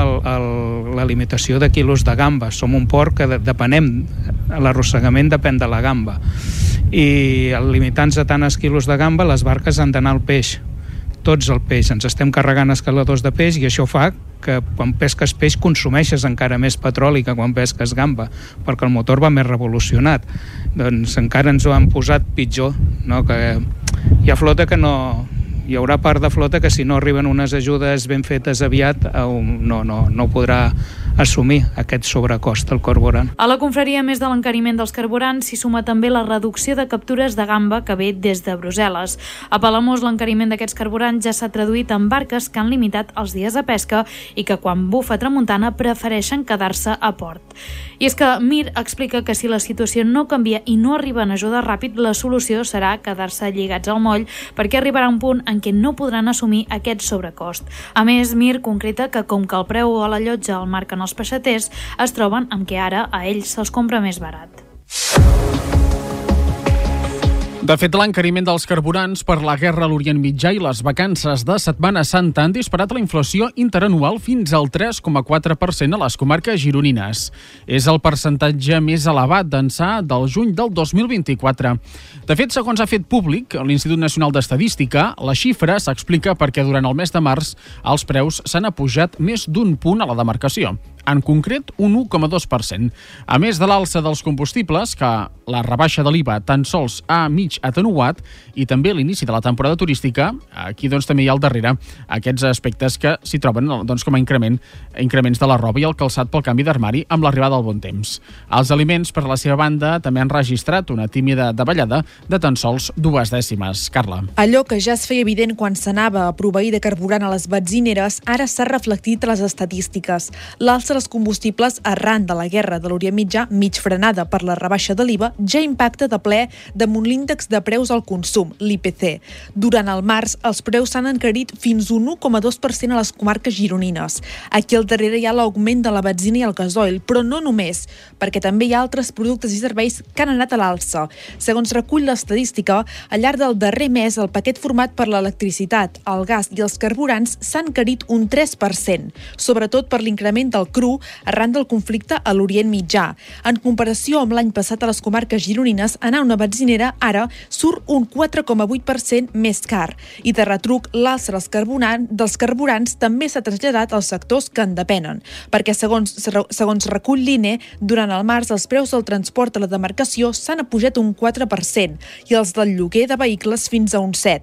la limitació de quilos de gamba. Som un port que depenem, l'arrossegament depèn de la gamba. I limitant-se a tants quilos de gamba, les barques han d'anar al peix. Tots al peix. Ens estem carregant escaladors de peix i això fa que quan pesques peix consumeixes encara més petroli que quan pesques gamba, perquè el motor va més revolucionat. Doncs encara ens ho han posat pitjor, no? Que hi ha flota que no... Hi haurà part de flota que si no arriben unes ajudes ben fetes aviat no podrà assumir aquest sobrecost al carburant. A la confraria, a més de l'encariment dels carburants, s'hi suma també la reducció de captures de gamba que ve des de Brussel·les. A Palamós, l'encariment d'aquests carburants ja s'ha traduït en barques que han limitat els dies de pesca i que quan bufa tramuntana prefereixen quedar-se a port. I és que Mir explica que si la situació no canvia i no arriben ajudes ràpid, la solució serà quedar-se lligats al moll perquè arribarà un punt en què no podran assumir aquest sobrecost. A més, Mir concreta que com que el preu a la llotja el marquen els peixaters, es troben amb què ara a ells se'ls compra més barat. De fet, l'encariment dels carburants per la guerra a l'Orient Mitjà i les vacances de Setmana Santa han disparat la inflació interanual fins al 3,4% a les comarques gironines. És el percentatge més elevat d'ençà del juny del 2024. De fet, segons ha fet públic l'Institut Nacional d'Estadística, la xifra s'explica perquè durant el mes de març els preus s'han apujat més d'un punt a la demarcació. En concret, un 1,2%. A més de l'alça dels combustibles, que la rebaixa de l'IVA tan sols ha mig atenuat, i també l'inici de la temporada turística, aquí també hi ha al darrere aquests aspectes que s'hi troben com a increments de la roba i el calçat pel canvi d'armari amb l'arribada del bon temps. Els aliments, per la seva banda, també han registrat una tímida davallada de tan sols 2 dècimes. Carla. Allò que ja es feia evident quan s'anava a proveir de carburant a les benzineres, ara s'ha reflectit a les estadístiques. L'alça dels combustibles arran de la guerra de l'Orient Mitjà, mig frenada per la rebaixa de l'IVA, ja impacta de ple damunt l'índex de preus al consum, l'IPC. Durant el març, els preus s'han encarit fins un 1,2% a les comarques gironines. Aquí al darrere hi ha l'augment de la benzina i el gasoil, però no només, perquè també hi ha altres productes i serveis que han anat a l'alça. Segons recull l'estadística, al llarg del darrer mes, el paquet format per l'electricitat, el gas i els carburants s'han encarit un 3%, sobretot per l'increment del cru cru arran del conflicte a l'Orient Mitjà. En comparació amb l'any passat a les comarques gironines, anar a una benzinera ara surt un 4,8% més car. I de retruc, l'alça dels carburants també s'ha traslladat als sectors que en depenen, perquè segons recull l'INE, durant el març els preus del transport a la demarcació s'han apujat un 4% i els del lloguer de vehicles fins a un 7%.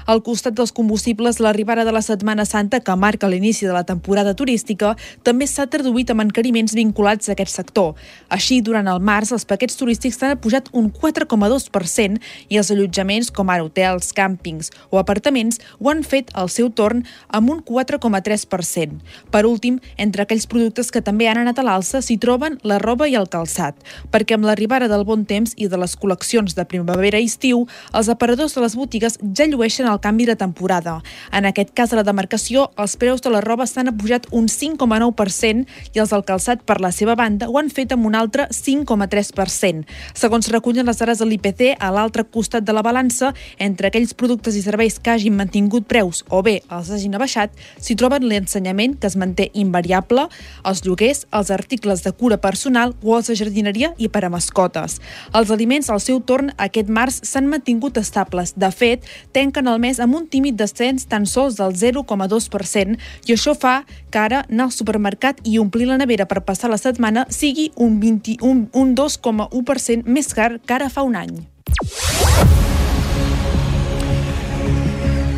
Al costat dels combustibles, l'arribada de la Setmana Santa, que marca l'inici de la temporada turística, també s'ha traduït amb encariments vinculats a aquest sector. Així, durant el març, els paquets turístics s'han apujat un 4,2% i els allotjaments, com ara hotels, càmpings o apartaments, ho han fet al seu torn amb un 4,3%. Per últim, entre aquells productes que també han anat a l'alça s'hi troben la roba i el calçat, perquè amb l'arribada del bon temps i de les col·leccions de primavera i estiu, els aparadors de les botigues ja llueixen el canvi de temporada. En aquest cas, a la demarcació, els preus de la roba s'han apujat un 5,9% i els del calçat, per la seva banda, ho han fet amb un altre 5,3%. Segons recullen les dades de l'IPC, a l'altre costat de la balança, entre aquells productes i serveis que hagin mantingut preus o bé els hagin abaixat, s'hi troben l'ensenyament, que es manté invariable, els lloguers, els articles de cura personal o els de jardineria i per a mascotes. Els aliments, al seu torn, aquest març s'han mantingut estables. De fet, tanquen el mes amb un tímid descens tan sols del 0,2% i això fa que ara anar al supermercat i omplir la nevera per passar la setmana sigui un 2,1% més car que ara fa un any.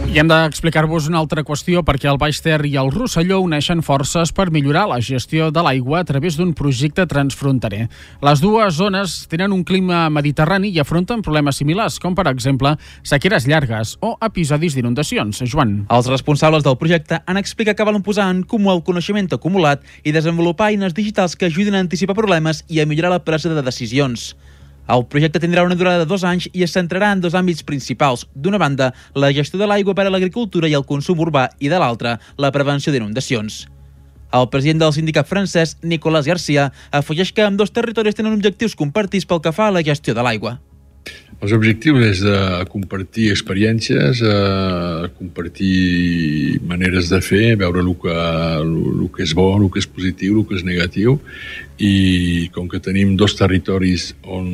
I hem d'explicar-vos una altra qüestió, perquè el Baix Ter i el Rosselló uneixen forces per millorar la gestió de l'aigua a través d'un projecte transfronterer. Les dues zones tenen un clima mediterrani i afronten problemes similars, com per exemple sequeres llargues o episodis d'inundacions. Joan. Els responsables del projecte han explicat que volen posar en comú el coneixement acumulat i desenvolupar eines digitals que ajudin a anticipar problemes i a millorar la presa de decisions. El projecte tindrà una durada de 2 anys i es centrarà en 2 àmbits principals. D'una banda, la gestió de l'aigua per a l'agricultura i el consum urbà, i de l'altra, la prevenció d'inundacions. El president del sindicat francès, Nicolas Garcia, afegeix que ambdós territoris tenen objectius compartits pel que fa a la gestió de l'aigua. Els objectius és de compartir experiències, compartir maneres de fer, veure el que és bo, el que és positiu, el que és negatiu, i com que tenim 2 territoris on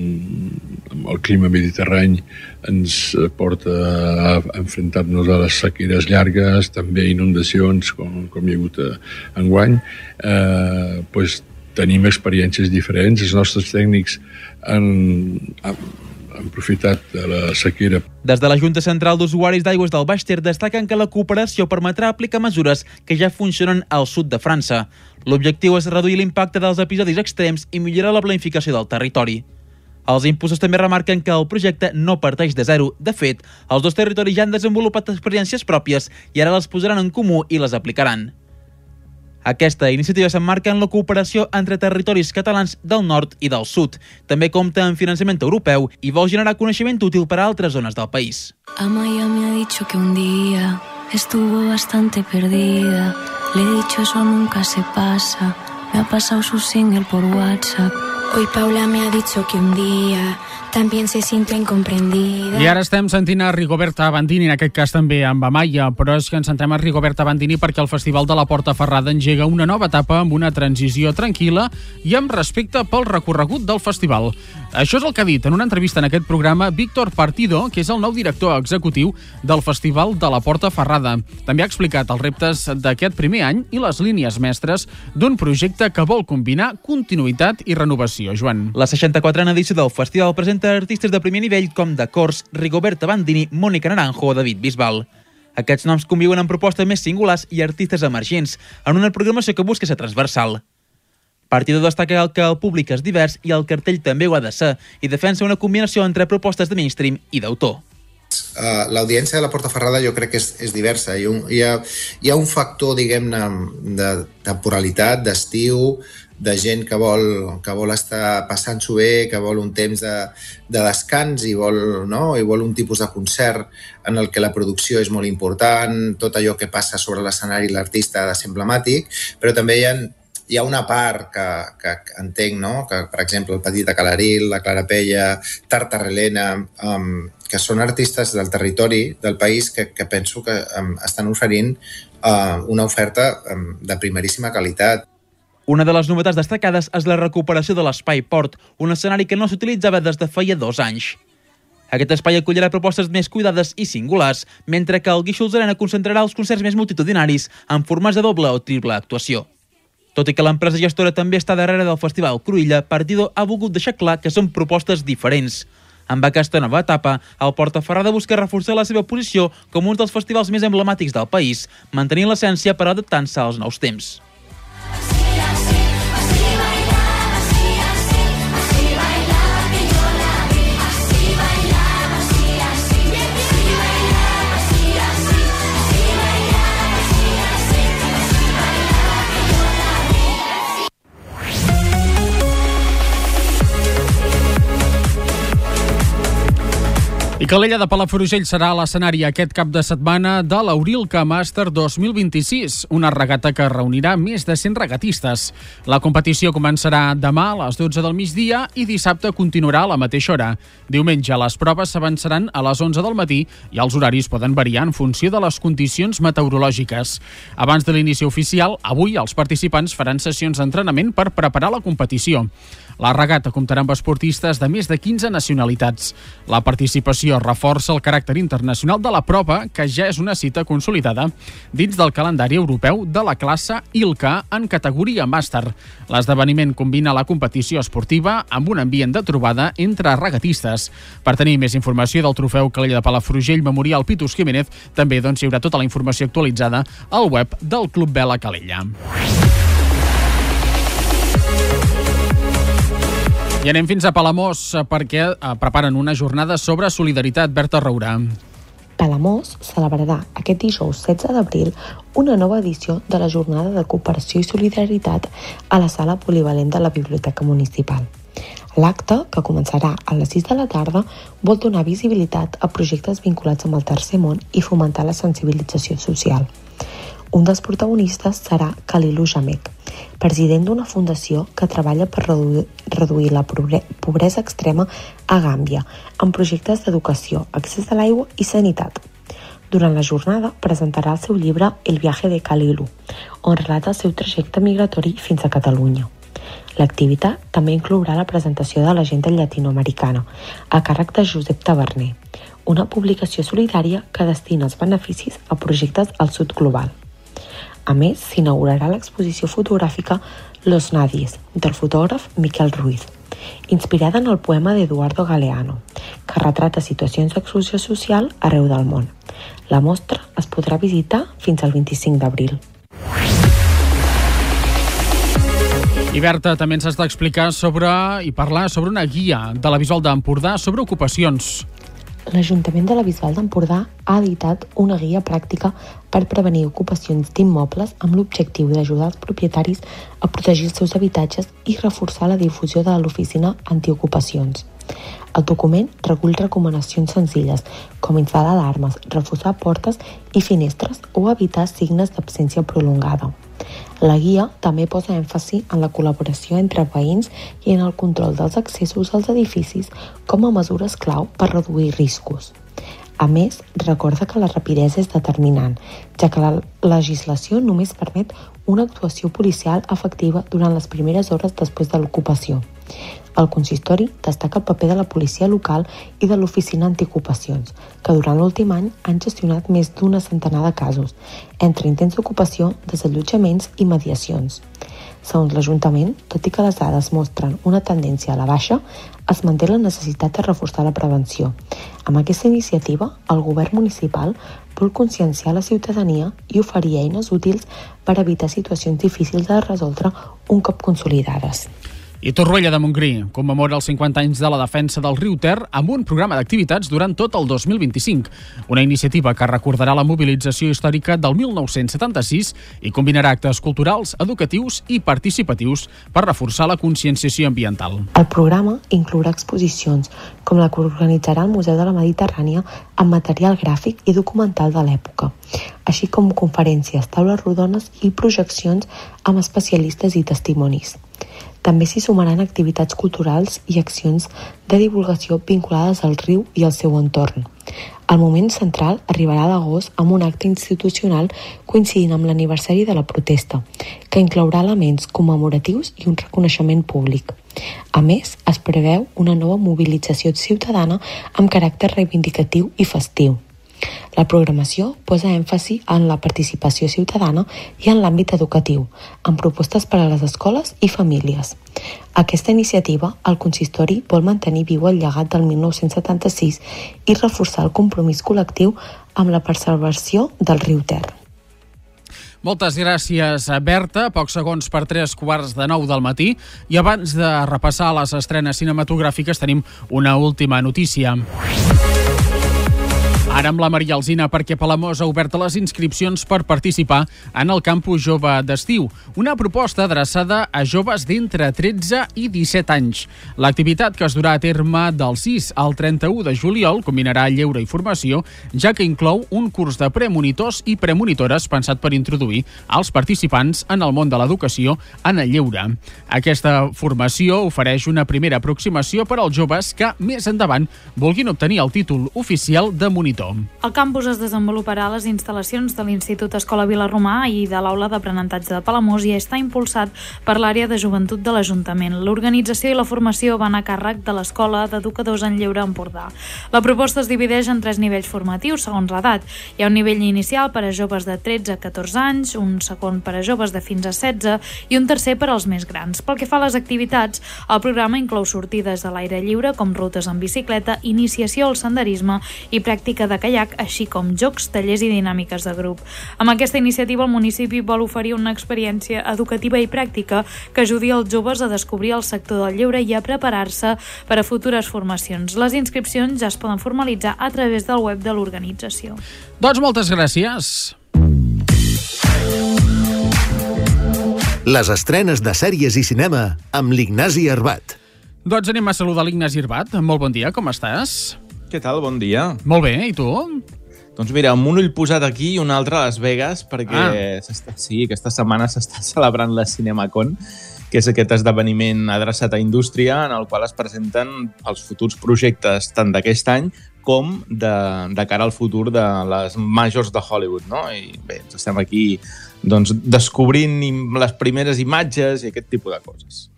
el clima mediterrani ens porta a enfrontar-nos a les sequeres llargues, també inundacions, com hi ha hagut enguany, tenim experiències diferents. Els nostres tècnics han aprofitat de la sequera. Des de la Junta Central d'Usuaris d'Aigües del Baix Ter destaquen que la cooperació permetrà aplicar mesures que ja funcionen al sud de França. L'objectiu és reduir l'impacte dels episodis extrems i millorar la planificació del territori. Els impulsors també remarquen que el projecte no parteix de zero. De fet, els 2 territoris ja han desenvolupat experiències pròpies i ara les posaran en comú i les aplicaran. Aquesta iniciativa s'emmarca en la cooperació entre territoris catalans del nord i del sud. També compta amb finançament europeu i vol generar coneixement útil per a altres zones del país. Amaya me ha dicho que un día estuvo bastante perdida. Le he dicho eso nunca se pasa. Me ha pasado su single por WhatsApp. Hoy Paula me ha dicho que un día también se siente incomprendida. I ara estem sentint a Rigoberta Bandini, en aquest cas també amb Amaya, però és que ens centrem a Rigoberta Bandini perquè el Festival de la Portaferrada engega una nova etapa amb una transició tranquil·la i amb respecte pel recorregut del festival. Això és el que ha dit en una entrevista en aquest programa Víctor Partido, que és el nou director executiu del Festival de la Portaferrada. També ha explicat els reptes d'aquest primer any i les línies mestres d'un projecte que vol combinar continuïtat i renovació. Joan. La 64a edició del festival presenta artistes de primer nivell com de Cors, Rigoberta Bandini, Mónica Naranjo o David Bisbal. Aquests noms conviuen amb propostes més singulars i artistes emergents, en una programació que busca ser transversal. Partido destaca que el públic és divers i el cartell també ho ha de ser, i defensa una combinació entre propostes de mainstream i d'autor. L'audiència de la Portaferrada jo crec que és diversa. Hi ha un factor, diguem-ne, de temporalitat, d'estiu, de gent que vol estar passant-s'ho bé, que vol un temps de descans i vol un tipus de concert en el que la producció és molt important, tot allò que passa sobre l'escenari l'artista ha de ser emblemàtic, però també hi ha una part que entenc, no? Que, per exemple, el Petit de Calaril, la Clara Pella, Tartarrelena, que són artistes del territori del país que penso que estan oferint una oferta de primeríssima qualitat. Una de les novetats destacades és la recuperació de l'Espai Port, un escenari que no s'utilitzava des de feia 2 anys. Aquest espai acollirà propostes més cuidades i singulars, mentre que el Guíxols Arena concentrarà els concerts més multitudinaris en formats de doble o triple actuació. Tot i que l'empresa gestora també està darrere del Festival Cruïlla, Partido ha volgut deixar clar que són propostes diferents. Amb aquesta nova etapa, el Portaferrada busca reforçar la seva posició com un dels festivals més emblemàtics del país, mantenint l'essència per adaptant-se als nous temps. I Calella de Palafrugell serà l'escenari aquest cap de setmana de l'Aurilca Master 2026, una regata que reunirà més de 100 regatistes. La competició començarà demà a les 12 del migdia i dissabte continuarà a la mateixa hora. Diumenge les proves s'avançaran a les 11 del matí i els horaris poden variar en funció de les condicions meteorològiques. Abans de l'inici oficial, avui els participants faran sessions d'entrenament per preparar la competició. La regata comptarà amb esportistes de més de 15 nacionalitats. La participació reforça el caràcter internacional de la prova, que ja és una cita consolidada dins del calendari europeu de la classe ILCA en categoria màster. L'esdeveniment combina la competició esportiva amb un ambient de trobada entre regatistes. Per tenir més informació del trofeu Calella de Palafrugell Memorial Pitus Jiménez, també hi haurà tota la informació actualitzada al web del Club Vela Calella. I anem fins a Palamós perquè preparen una jornada sobre solidaritat. Berta Roura. Palamós celebrarà aquest dijous 16 d'abril una nova edició de la Jornada de Cooperació i Solidaritat a la sala polivalent de la Biblioteca Municipal. L'acte, que començarà a les 6 de la tarda, vol donar visibilitat a projectes vinculats amb el tercer món i fomentar la sensibilització social. Un dels protagonistes serà Kalilu Jamek, president d'una fundació que treballa per reduir la pobresa extrema a Gàmbia, amb projectes d'educació, accés a l'aigua i sanitat. Durant la jornada presentarà el seu llibre El viaje de Kalilu, on relata el seu trajecte migratori fins a Catalunya. L'activitat també inclourà la presentació de l'agenda llatinoamericana, a càrrec de Josep Taverner, una publicació solidària que destina els beneficis a projectes al sud global. A més, s'inaugurarà l'exposició fotogràfica Los Nadies, del fotògraf Miquel Ruiz, inspirada en el poema d'Eduardo Galeano, que retrata situacions d'exclusió social arreu del món. La mostra es podrà visitar fins al 25 d'abril. I Berta, també ens has d'explicar i parlar sobre una guia de la Bisbal d'Empordà sobre ocupacions. L'Ajuntament de la Bisbal d'Empordà ha editat una guia pràctica per prevenir ocupacions d'immobles amb l'objectiu d'ajudar els propietaris a protegir els seus habitatges i reforçar la difusió de l'oficina antiocupacions. El document recull recomanacions senzilles, com instal·lar alarmes, reforçar portes i finestres o evitar signes d'absència prolongada. La guia també posa èmfasi en la col·laboració entre veïns i en el control dels accessos als edificis com a mesures clau per reduir riscos. A més, recorda que la rapidesa és determinant, ja que la legislació només permet una actuació policial efectiva durant les primeres hores després de l'ocupació. El consistori destaca el paper de la policia local i de l'oficina antiocupacions, que durant l'últim any han gestionat més d'una centenar de casos, entre intents d'ocupació, desallotjaments i mediacions. Segons l'Ajuntament, tot i que les dades mostren una tendència a la baixa, es manté la necessitat de reforçar la prevenció. Amb aquesta iniciativa, el govern municipal vol conscienciar la ciutadania i oferir eines útils per evitar situacions difícils de resoldre un cop consolidades. I Torroella de Montgrí commemora els 50 anys de la defensa del riu Ter amb un programa d'activitats durant tot el 2025. Una iniciativa que recordarà la mobilització històrica del 1976 i combinarà actes culturals, educatius i participatius per reforçar la conscienciació ambiental. El programa inclourà exposicions, com la que organitzarà el Museu de la Mediterrània amb material gràfic i documental de l'època, així com conferències, taules rodones i projeccions amb especialistes i testimonis. També s'hi sumaran activitats culturals i accions de divulgació vinculades al riu i al seu entorn. El moment central arribarà a l'agost amb un acte institucional coincidint amb l'aniversari de la protesta, que inclourà elements commemoratius i un reconeixement públic. A més, es preveu una nova mobilització ciutadana amb caràcter reivindicatiu i festiu. La programació posa èmfasi en la participació ciutadana i en l'àmbit educatiu, amb propostes per a les escoles i famílies. Aquesta iniciativa, el consistori vol mantenir viu el llegat del 1976 i reforçar el compromís col·lectiu amb la preservació del riu Ter. Moltes gràcies, Berta. Pocs segons per 3:45 del matí. I abans de repassar les estrenes cinematogràfiques tenim una última notícia. Ara amb la Maria Alsina, perquè Palamós ha obert les inscripcions per participar en el Campus Jove d'estiu, una proposta adreçada a joves d'entre 13 i 17 anys. L'activitat, que es durà a terme del 6 al 31 de juliol, combinarà lleure i formació, ja que inclou un curs de premonitors i premonitores pensat per introduir els participants en el món de l'educació en el lleure. Aquesta formació ofereix una primera aproximació per als joves que més endavant vulguin obtenir el títol oficial de monitor. El campus es desenvoluparà a les instal·lacions de l'Institut Escola Vilarromà i de l'Aula d'Aprenentatge de Palamós i està impulsat per l'àrea de joventut de l'Ajuntament. L'organització i la formació van a càrrec de l'Escola d'Educadors en Lleure Empordà. La proposta es divideix en 3 nivells formatius segons l'edat. Hi ha un nivell inicial per a joves de 13 a 14 anys, un segon per a joves de fins a 16 i un tercer per als més grans. Pel que fa a les activitats, el programa inclou sortides a l'aire lliure com rutes en bicicleta, iniciació al senderisme i pràctica de caiac, així com jocs, tallers i dinàmiques de grup. Amb aquesta iniciativa, el municipi vol oferir una experiència educativa i pràctica que ajudi els joves a descobrir el sector del lleure i a preparar-se per a futures formacions. Les inscripcions ja es poden formalitzar a través del web de l'organització. Doncs moltes gràcies. Les estrenes de sèries i cinema amb l'Ignasi Arbat. Doncs anem a saludar l'Ignasi Arbat. Molt bon dia, com estàs? Què tal? Bon dia. Molt bé, i tu? Doncs mira, amb un ull posat aquí i un altre a Las Vegas, perquè aquesta setmana s'està celebrant la CinemaCon, que és aquest esdeveniment adreçat a indústria en el qual es presenten els futurs projectes tant d'aquest any com de cara al futur de les majors de Hollywood, no? I bé, ens estem aquí doncs, descobrint les primeres imatges i aquest tipus de coses.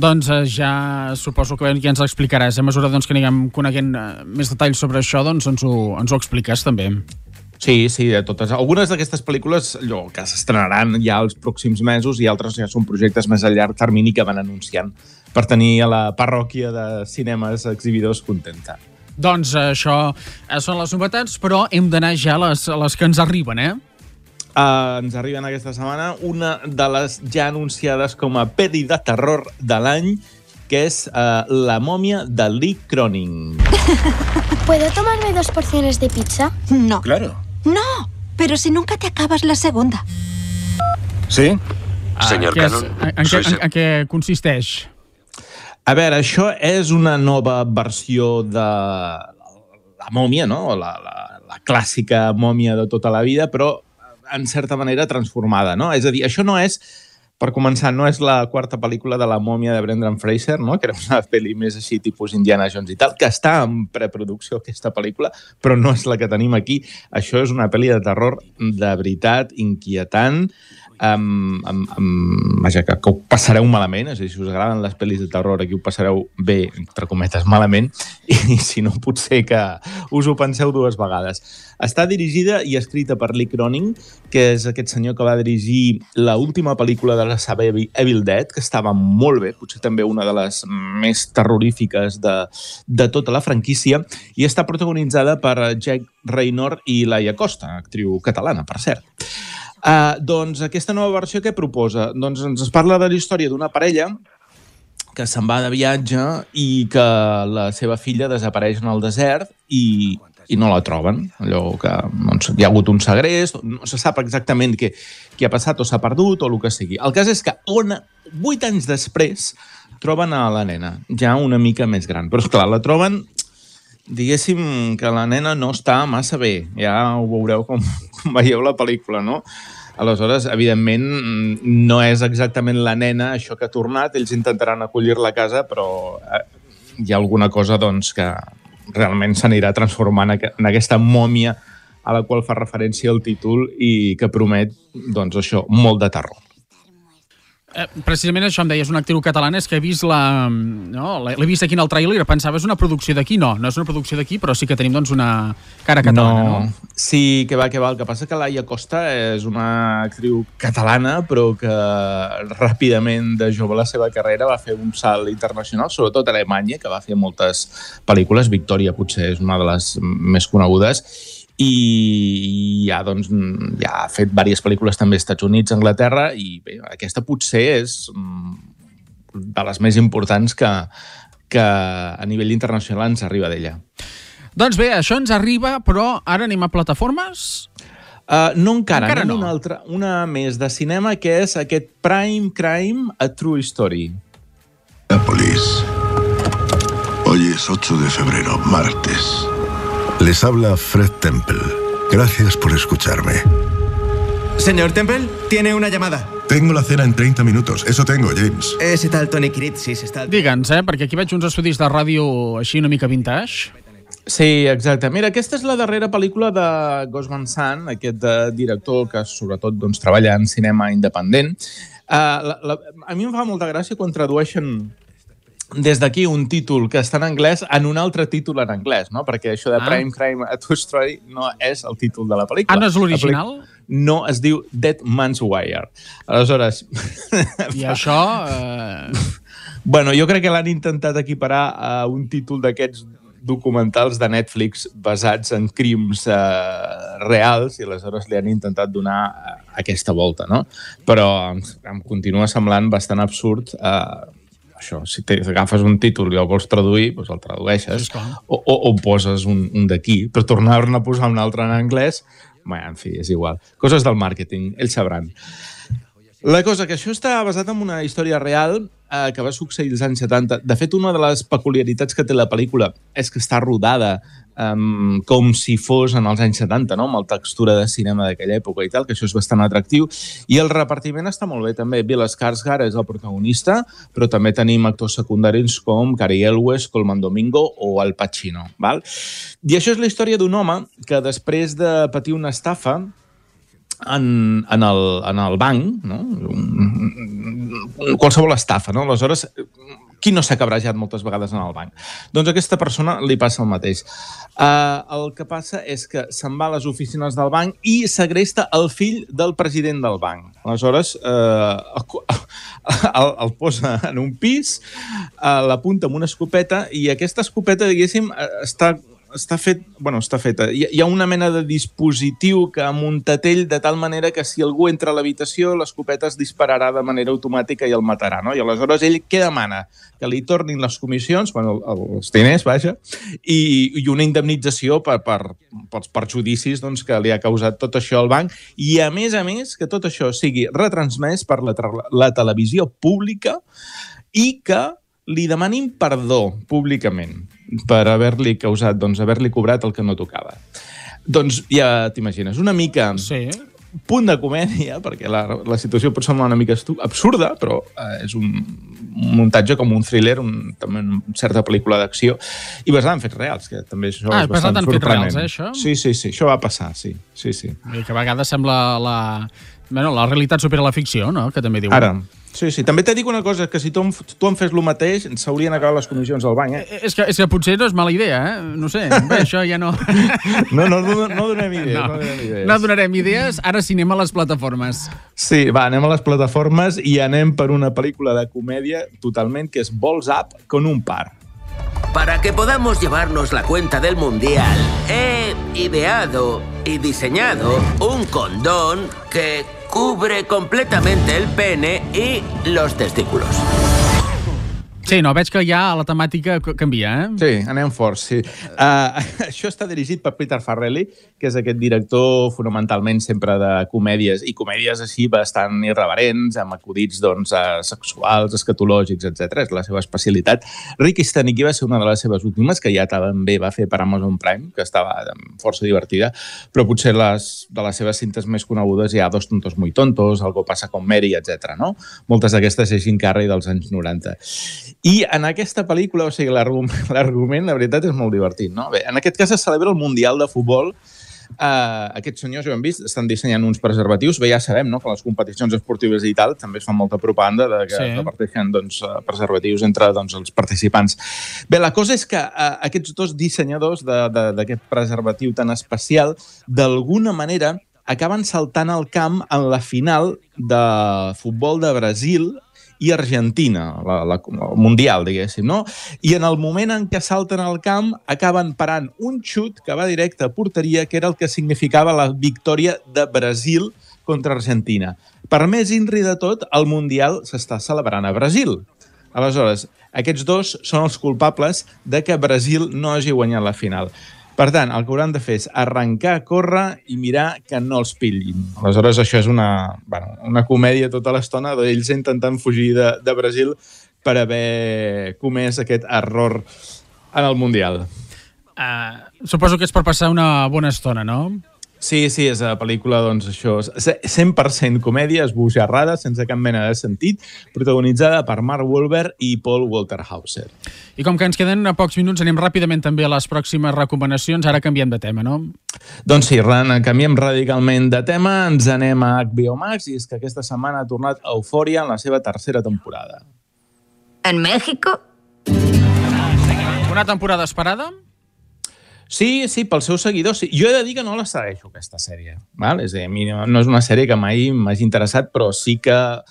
Doncs ja suposo que ja ens explicaràs. A mesura que anirem coneguent més detalls sobre això, doncs ens ho expliques també. Sí, de totes. Algunes d'aquestes pel·lícules que s'estrenaran ja els pròxims mesos i altres ja són projectes més a llarg termini que van anunciant per tenir a la parròquia de cinemes exhibidors contenta. Doncs això són les novetats, però hem d'anar ja a les que ens arriben, Ens arriben aquesta setmana una de les ja anunciades com a pel·li de terror de l'any, que és La mòmia de Lee Cronin. ¿Puedo tomarme 2 porciones de pizza? No. Claro. No, pero si nunca te acabas la segunda. Sí? Señor Cannon, en què consisteix? A veure, això és una nova versió de la mòmia, no? La clàssica mòmia de tota la vida, però en certa manera transformada, no? És a dir, això no és, per començar, no és la quarta pel·lícula de la mòmia de Brendan Fraser, no? Que era una pel·li més així, tipus Indiana Jones i tal, que està en preproducció, aquesta pel·lícula, però no és la que tenim aquí. Això és una pel·li de terror de veritat, inquietant, vaja, que ho passareu malament, és a dir, si us agraden les pel·lis de terror, aquí ho passareu bé, entre cometes, malament, i si no, potser que us ho penseu 2 vegades. Està dirigida i escrita per Lee Cronin, que és aquest senyor que va dirigir l'última pel·lícula de la saga Evil Dead, que estava molt bé, potser també una de les més terrorífiques de tota la franquícia, i està protagonitzada per Jack Reynor i Laia Costa, actriu catalana, per cert. Doncs aquesta nova versió què proposa? Doncs ens parla de la història d'una parella que se'n va de viatge i que la seva filla desapareix en el desert i no la troben. Allò que doncs, hi ha hagut un segrest, no se sap exactament què ha passat o s'ha perdut o el que sigui. El cas és que 8 anys després troben a la nena, ja una mica més gran. Però esclar, la troben, diguéssim que la nena no està massa bé. Ja ho veureu com veieu la pel·lícula, no? Aleshores, evidentment, no és exactament la nena això que ha tornat. Ells intentaran acollir-la a casa, però hi ha alguna cosa doncs, que realment s'anirà transformant en aquesta mòmia a la qual fa referència el títol i que promet, doncs això, molt de terror. Precisament això em deies, una actriu catalana, és que he vist l'he vist aquí en el tràiler, pensava és una producció d'aquí, no és una producció d'aquí, però sí que tenim doncs una cara catalana, no? Sí, que va. El que passa que Laia Costa és una actriu catalana, però que ràpidament de jove la seva carrera va fer un salt internacional, sobretot a Alemanya, que va fer moltes pel·lícules. Victòria potser és una de les més conegudes, i ja ha fet diverses pel·lícules també als Estats Units, Anglaterra, i bé, aquesta potser és de les més importants que a nivell internacional ens arriba d'ella. Doncs bé, això ens arriba, però ara anem a plataformes? No encara no. Una més de cinema, que és aquest Prime Crime, A True Story. Nápoles. Hoy es 8 de febrero, martes. Les habla Fred Temple. Gracias por escucharme. Señor Temple, tiene una llamada. Tengo la cena en 30 minutos. Eso tengo, James. Ese tal Tony Critzis està... Digue'ns, perquè aquí veig uns estudis de ràdio així una mica vintage. Sí, exacte. Mira, aquesta és la darrera pel·lícula de Gus Van Sant, aquest director que sobretot treballa en cinema independent. A mi em fa molta gràcia quan tradueixen des d'aquí un títol que està en anglès en un altre títol en anglès, no? Perquè això de Prime Crime, A True Story no és el títol de la pel·lícula. No és l'original? No, es diu Dead Man's Wire. Aleshores... I això... Bueno, jo crec que l'han intentat equiparar a un títol d'aquests documentals de Netflix basats en crims reals, i aleshores li han intentat donar aquesta volta, no? Però em continua semblant bastant absurd això, si agafes un títol i el vols traduir, doncs el tradueixes, o poses un d'aquí, però tornar-ne a posar un altre en anglès, en fi, és igual. Coses del màrqueting, ells sabran. La cosa que això està basat en una història real que va succeir als anys 70. De fet, una de les peculiaritats que té la pel·lícula és que està rodada com si fos en els anys 70, no? Amb la textura de cinema d'aquella època i tal, que això és bastant atractiu. I el repartiment està molt bé, també. Bill Skarsgård és el protagonista, però també tenim actors secundaris com Cary Elwes, Colman Domingo o Al Pacino. Val? I això és la història d'un home que després de patir una estafa en el banc, no? Qualsevol estafa, no? Aleshores, qui no s'ha cabrejat moltes vegades en el banc? Doncs a aquesta persona li passa el mateix. El que passa és que se'n va a les oficines del banc i segresta el fill del president del banc. Aleshores, el posa en un pis, l'apunta amb una escopeta, i aquesta escopeta, diguéssim, està feta. Hi ha una mena de dispositiu que muntat ell de tal manera que si algú entra a l'habitació, l'escopeta es dispararà de manera automàtica i el matarà, no? I aleshores ell què demana? Que li tornin les comissions, els diners, vaja, i una indemnització pels perjudicis que li ha causat tot això al banc, i a més, que tot això sigui retransmès per la televisió pública i que li demanin perdó públicament per haver-li causat, haver-li cobrat el que no tocava. Doncs ja t'imagines, una mica punt de comèdia, perquè la situació pot semblar una mica absurda, però és un muntatge com un thriller, també una certa pel·lícula d'acció, i basada en fets reals, que també això és bastant sorprenent. Això? Sí, això va passar, sí. I que a vegades sembla la realitat supera la ficció, no? Que també diuen. Ara, sí. També t'he dit una cosa, que si tu en fes el mateix, s'haurien acabat les comissions al banc, És que potser no és mala idea, No sé, bé, això ja no... No donem idees. No donarem idees, ara sí anem a les plataformes. Sí, va, anem a les plataformes i anem per una pel·lícula de comèdia totalment, que és Balls Up con un par. Para que podamos llevarnos la cuenta del mundial, he ideado y diseñado un condón que cubre completamente el pene y los testículos. Sí, no, veig que ja la temàtica canvia, Sí, anem forts, sí. Això està dirigit per Peter Farrelly, que és aquest director fonamentalment sempre de comèdies, i comèdies així bastant irreverents, amb acudits sexuals, escatològics, etc. És la seva especialitat. Ricky Stanicky va ser una de les seves últimes, que ja també va fer per Amazon Prime, que estava força divertida, però potser de les seves cintes més conegudes hi ha Dos tontos muy tontos, Algo pasa con Mary, etc. No? Moltes d'aquestes és Jim Carrey dels anys 90. I en aquesta pel·lícula, o sigui, l'argument, la veritat, és molt divertit, no? Bé, en aquest cas es celebra el Mundial de Futbol. Aquests senyors, ja ho hem vist, estan dissenyant uns preservatius. Bé, ja sabem, no?, que les competicions esportives i tal també es fan molta propaganda de que reparteixen preservatius entre els participants. Bé, la cosa és que aquests dos dissenyadors d'aquest preservatiu tan especial, d'alguna manera, acaben saltant al camp en la final de futbol de Brasil i Argentina, el Mundial, diguéssim, no? I en el moment en què salten al camp acaben parant un xut que va directe a porteria, que era el que significava la victòria de Brasil contra Argentina. Per més inri de tot, el Mundial s'està celebrant a Brasil. Aleshores, aquests dos són els culpables de que Brasil no hagi guanyat la final. Per tant, el que hauran de fer és arrencar, córrer i mirar que no els pillin. Aleshores, això és una comèdia tota l'estona d'ells intentant fugir de Brasil per haver comès aquest error en el Mundial. Suposo que és per passar una bona estona, no? Sí, és la pel·lícula, doncs, això, 100% comèdia, esbojarrada, sense cap mena de sentit, protagonitzada per Mark Wahlberg i Paul Walter Hauser. I com que ens queden a pocs minuts, anem ràpidament també a les pròximes recomanacions. Ara canviem de tema, no? Doncs sí, canviem radicalment de tema, ens anem a HBO Max, i és que aquesta setmana ha tornat Euphoria en la seva tercera temporada. En México? Una temporada esperada? Sí, pels seus seguidors. Sí. Jo he de dir que no la segueixo, aquesta sèrie. Val? És a dir, a mi no és una sèrie que mai m'hagi interessat, però sí que,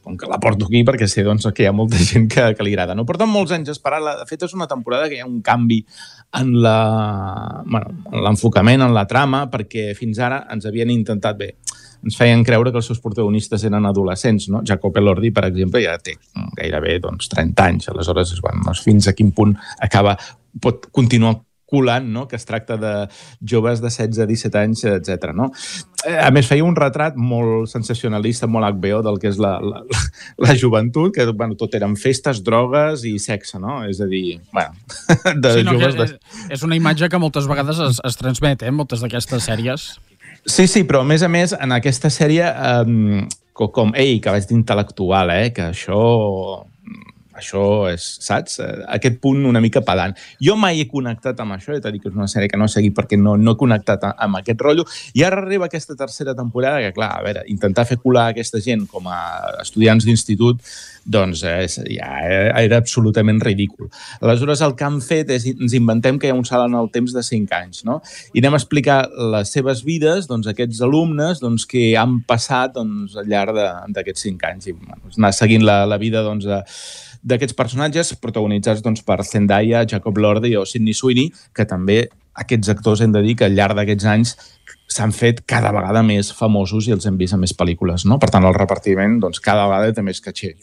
com que la porto aquí, perquè sé que hi ha molta gent que li agrada. No porten molts anys esperant-la. De fet, és una temporada que hi ha un canvi en l'enfocament, en la trama, perquè fins ara ens havien intentat ens feien creure que els seus protagonistes eren adolescents, no? Jacob Elordi, per exemple, ja té gairebé 30 anys. Aleshores, fins a quin punt pot continuar colant, no?, que es tracta de joves de 16-17 anys, etc. No? A més, feia un retrat molt sensacionalista, molt HBO, del que és la joventut, que tot eren festes, drogues i sexe, no? És a dir, joves... És una imatge que moltes vegades es transmet, moltes d'aquestes sèries. Sí, però a més, en aquesta sèrie, com que vaig d'intel·lectual, que això és, saps? Aquest punt una mica pedant. Jo mai he connectat amb això, he de dir que és una sèrie que no he seguit perquè no he connectat amb aquest rotllo, i ara arriba aquesta tercera temporada que, clar, a veure, intentar fer colar aquesta gent com a estudiants d'institut, doncs ja era absolutament ridícul. Aleshores, el que han fet és, ens inventem que hi ha un salt en el temps de 5 anys, no? I anem a explicar les seves vides, aquests alumnes que han passat al llarg d'aquests 5 anys, i anar seguint la vida d'aquests personatges protagonitzats per Zendaya, Jacob Elordi o Sydney Sweeney, que també aquests actors hem de dir que al llarg d'aquests anys s'han fet cada vegada més famosos i els hem vist a més pel·lícules, no? Per tant, el repartiment cada vegada té més caché.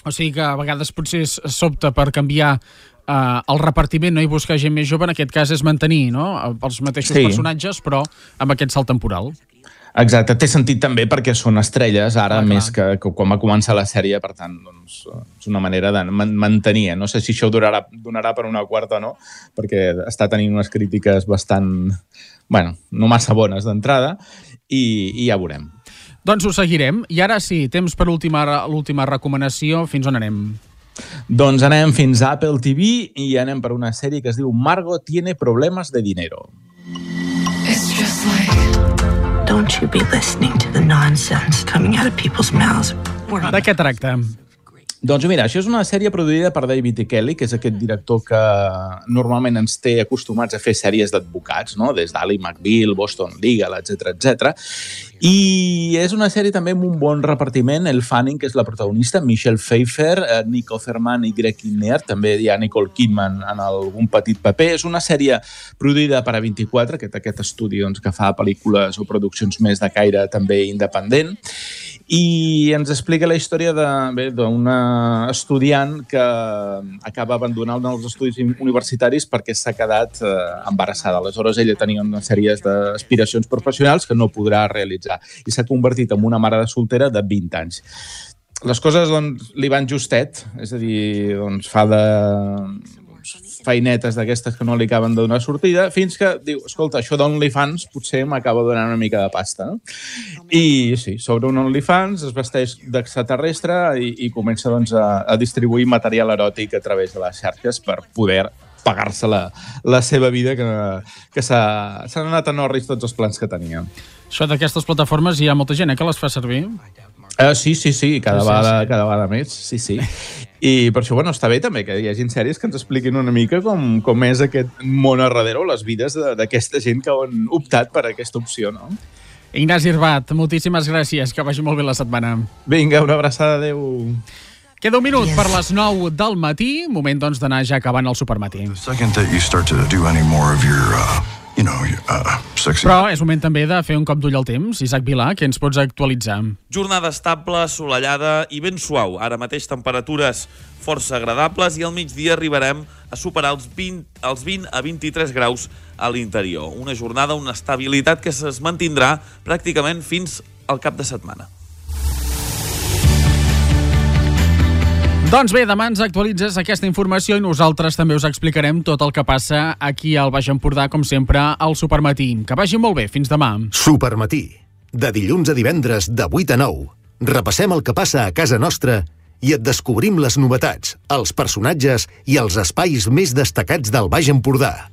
O sigui que a vegades potser s'opta per canviar el repartiment, no, i buscar gent més jove. En aquest cas és mantenir, no?, els mateixos personatges, però amb aquest salt temporal. Exacte, té sentit també perquè són estrelles ara, més que quan va començar la sèrie, per tant, és una manera de mantenir. No sé si això donarà per una quarta o no, perquè està tenint unes crítiques bastant, no massa bones d'entrada, i ja veurem. Doncs ho seguirem. I ara sí, temps per l'última recomanació. Fins on anem? Doncs anem fins a Apple TV i anem per una sèrie que es diu Margot tiene problemas de dinero. It's just like... Don't you be listening to the nonsense coming out of people's mouths. De què tracta? Doncs mira, això és una sèrie produïda per David E. Kelly, que és aquest director que normalment ens té acostumats a fer sèries d'advocats, no? Des d'Ally McBeal, Boston Legal, etc. I és una sèrie també amb un bon repartiment. Elle Fanning, que és la protagonista, Michelle Pfeiffer, Nick Offerman i Greg Kinnear, també hi ha Nicole Kidman en algun petit paper. És una sèrie produïda per A24, aquest estudi que fa pel·lícules o produccions més de caire també independent, i ens explica la història d'una estudiant que acaba abandonant els estudis universitaris perquè s'ha quedat embarassada. Aleshores, ella tenia una sèrie d'aspiracions professionals que no podrà realitzar i s'ha convertit en una mare de soltera de 20 anys. Les coses li van justet, és a dir, fa feinetes d'aquestes que no li acaben de donar sortida, fins que diu, escolta, això d'OnlyFans potser m'acaba donant una mica de pasta, no? I sí, sobre un OnlyFans es vesteix d'extraterrestre i comença doncs, a distribuir material eròtic a través de les xarxes per poder pagar-se la seva vida, que s'han anat a Norris tots els plans que tenia. Això d'aquestes plataformes hi ha molta gent que les fa servir? Sí, cada vegada més, sí. I per això, està bé també que hi hagi sèries que ens expliquin una mica com és aquest món a darrere o les vides d'aquesta gent que han optat per aquesta opció, no? Ignasi Irbat, moltíssimes gràcies, que vagi molt bé la setmana. Vinga, una abraçada, adeu. Queda un minut per les 9 del matí, moment doncs d'anar ja acabant el supermatí. Però és moment també de fer un cop d'ull al temps. Isaac Vilà, què ens pots actualitzar? Jornada estable, assolellada i ben suau. Ara mateix temperatures força agradables i al migdia arribarem a superar els 20 a 23 graus a l'interior. Una jornada, una estabilitat que es mantindrà pràcticament fins al cap de setmana. Doncs bé, demà ens actualitzes aquesta informació i nosaltres també us explicarem tot el que passa aquí al Baix Empordà, com sempre, al Supermatí. Que vagi molt bé, fins demà. Supermatí, de dilluns a divendres de 8 a 9. Repassem el que passa a casa nostra i et descobrim les novetats, els personatges i els espais més destacats del Baix Empordà.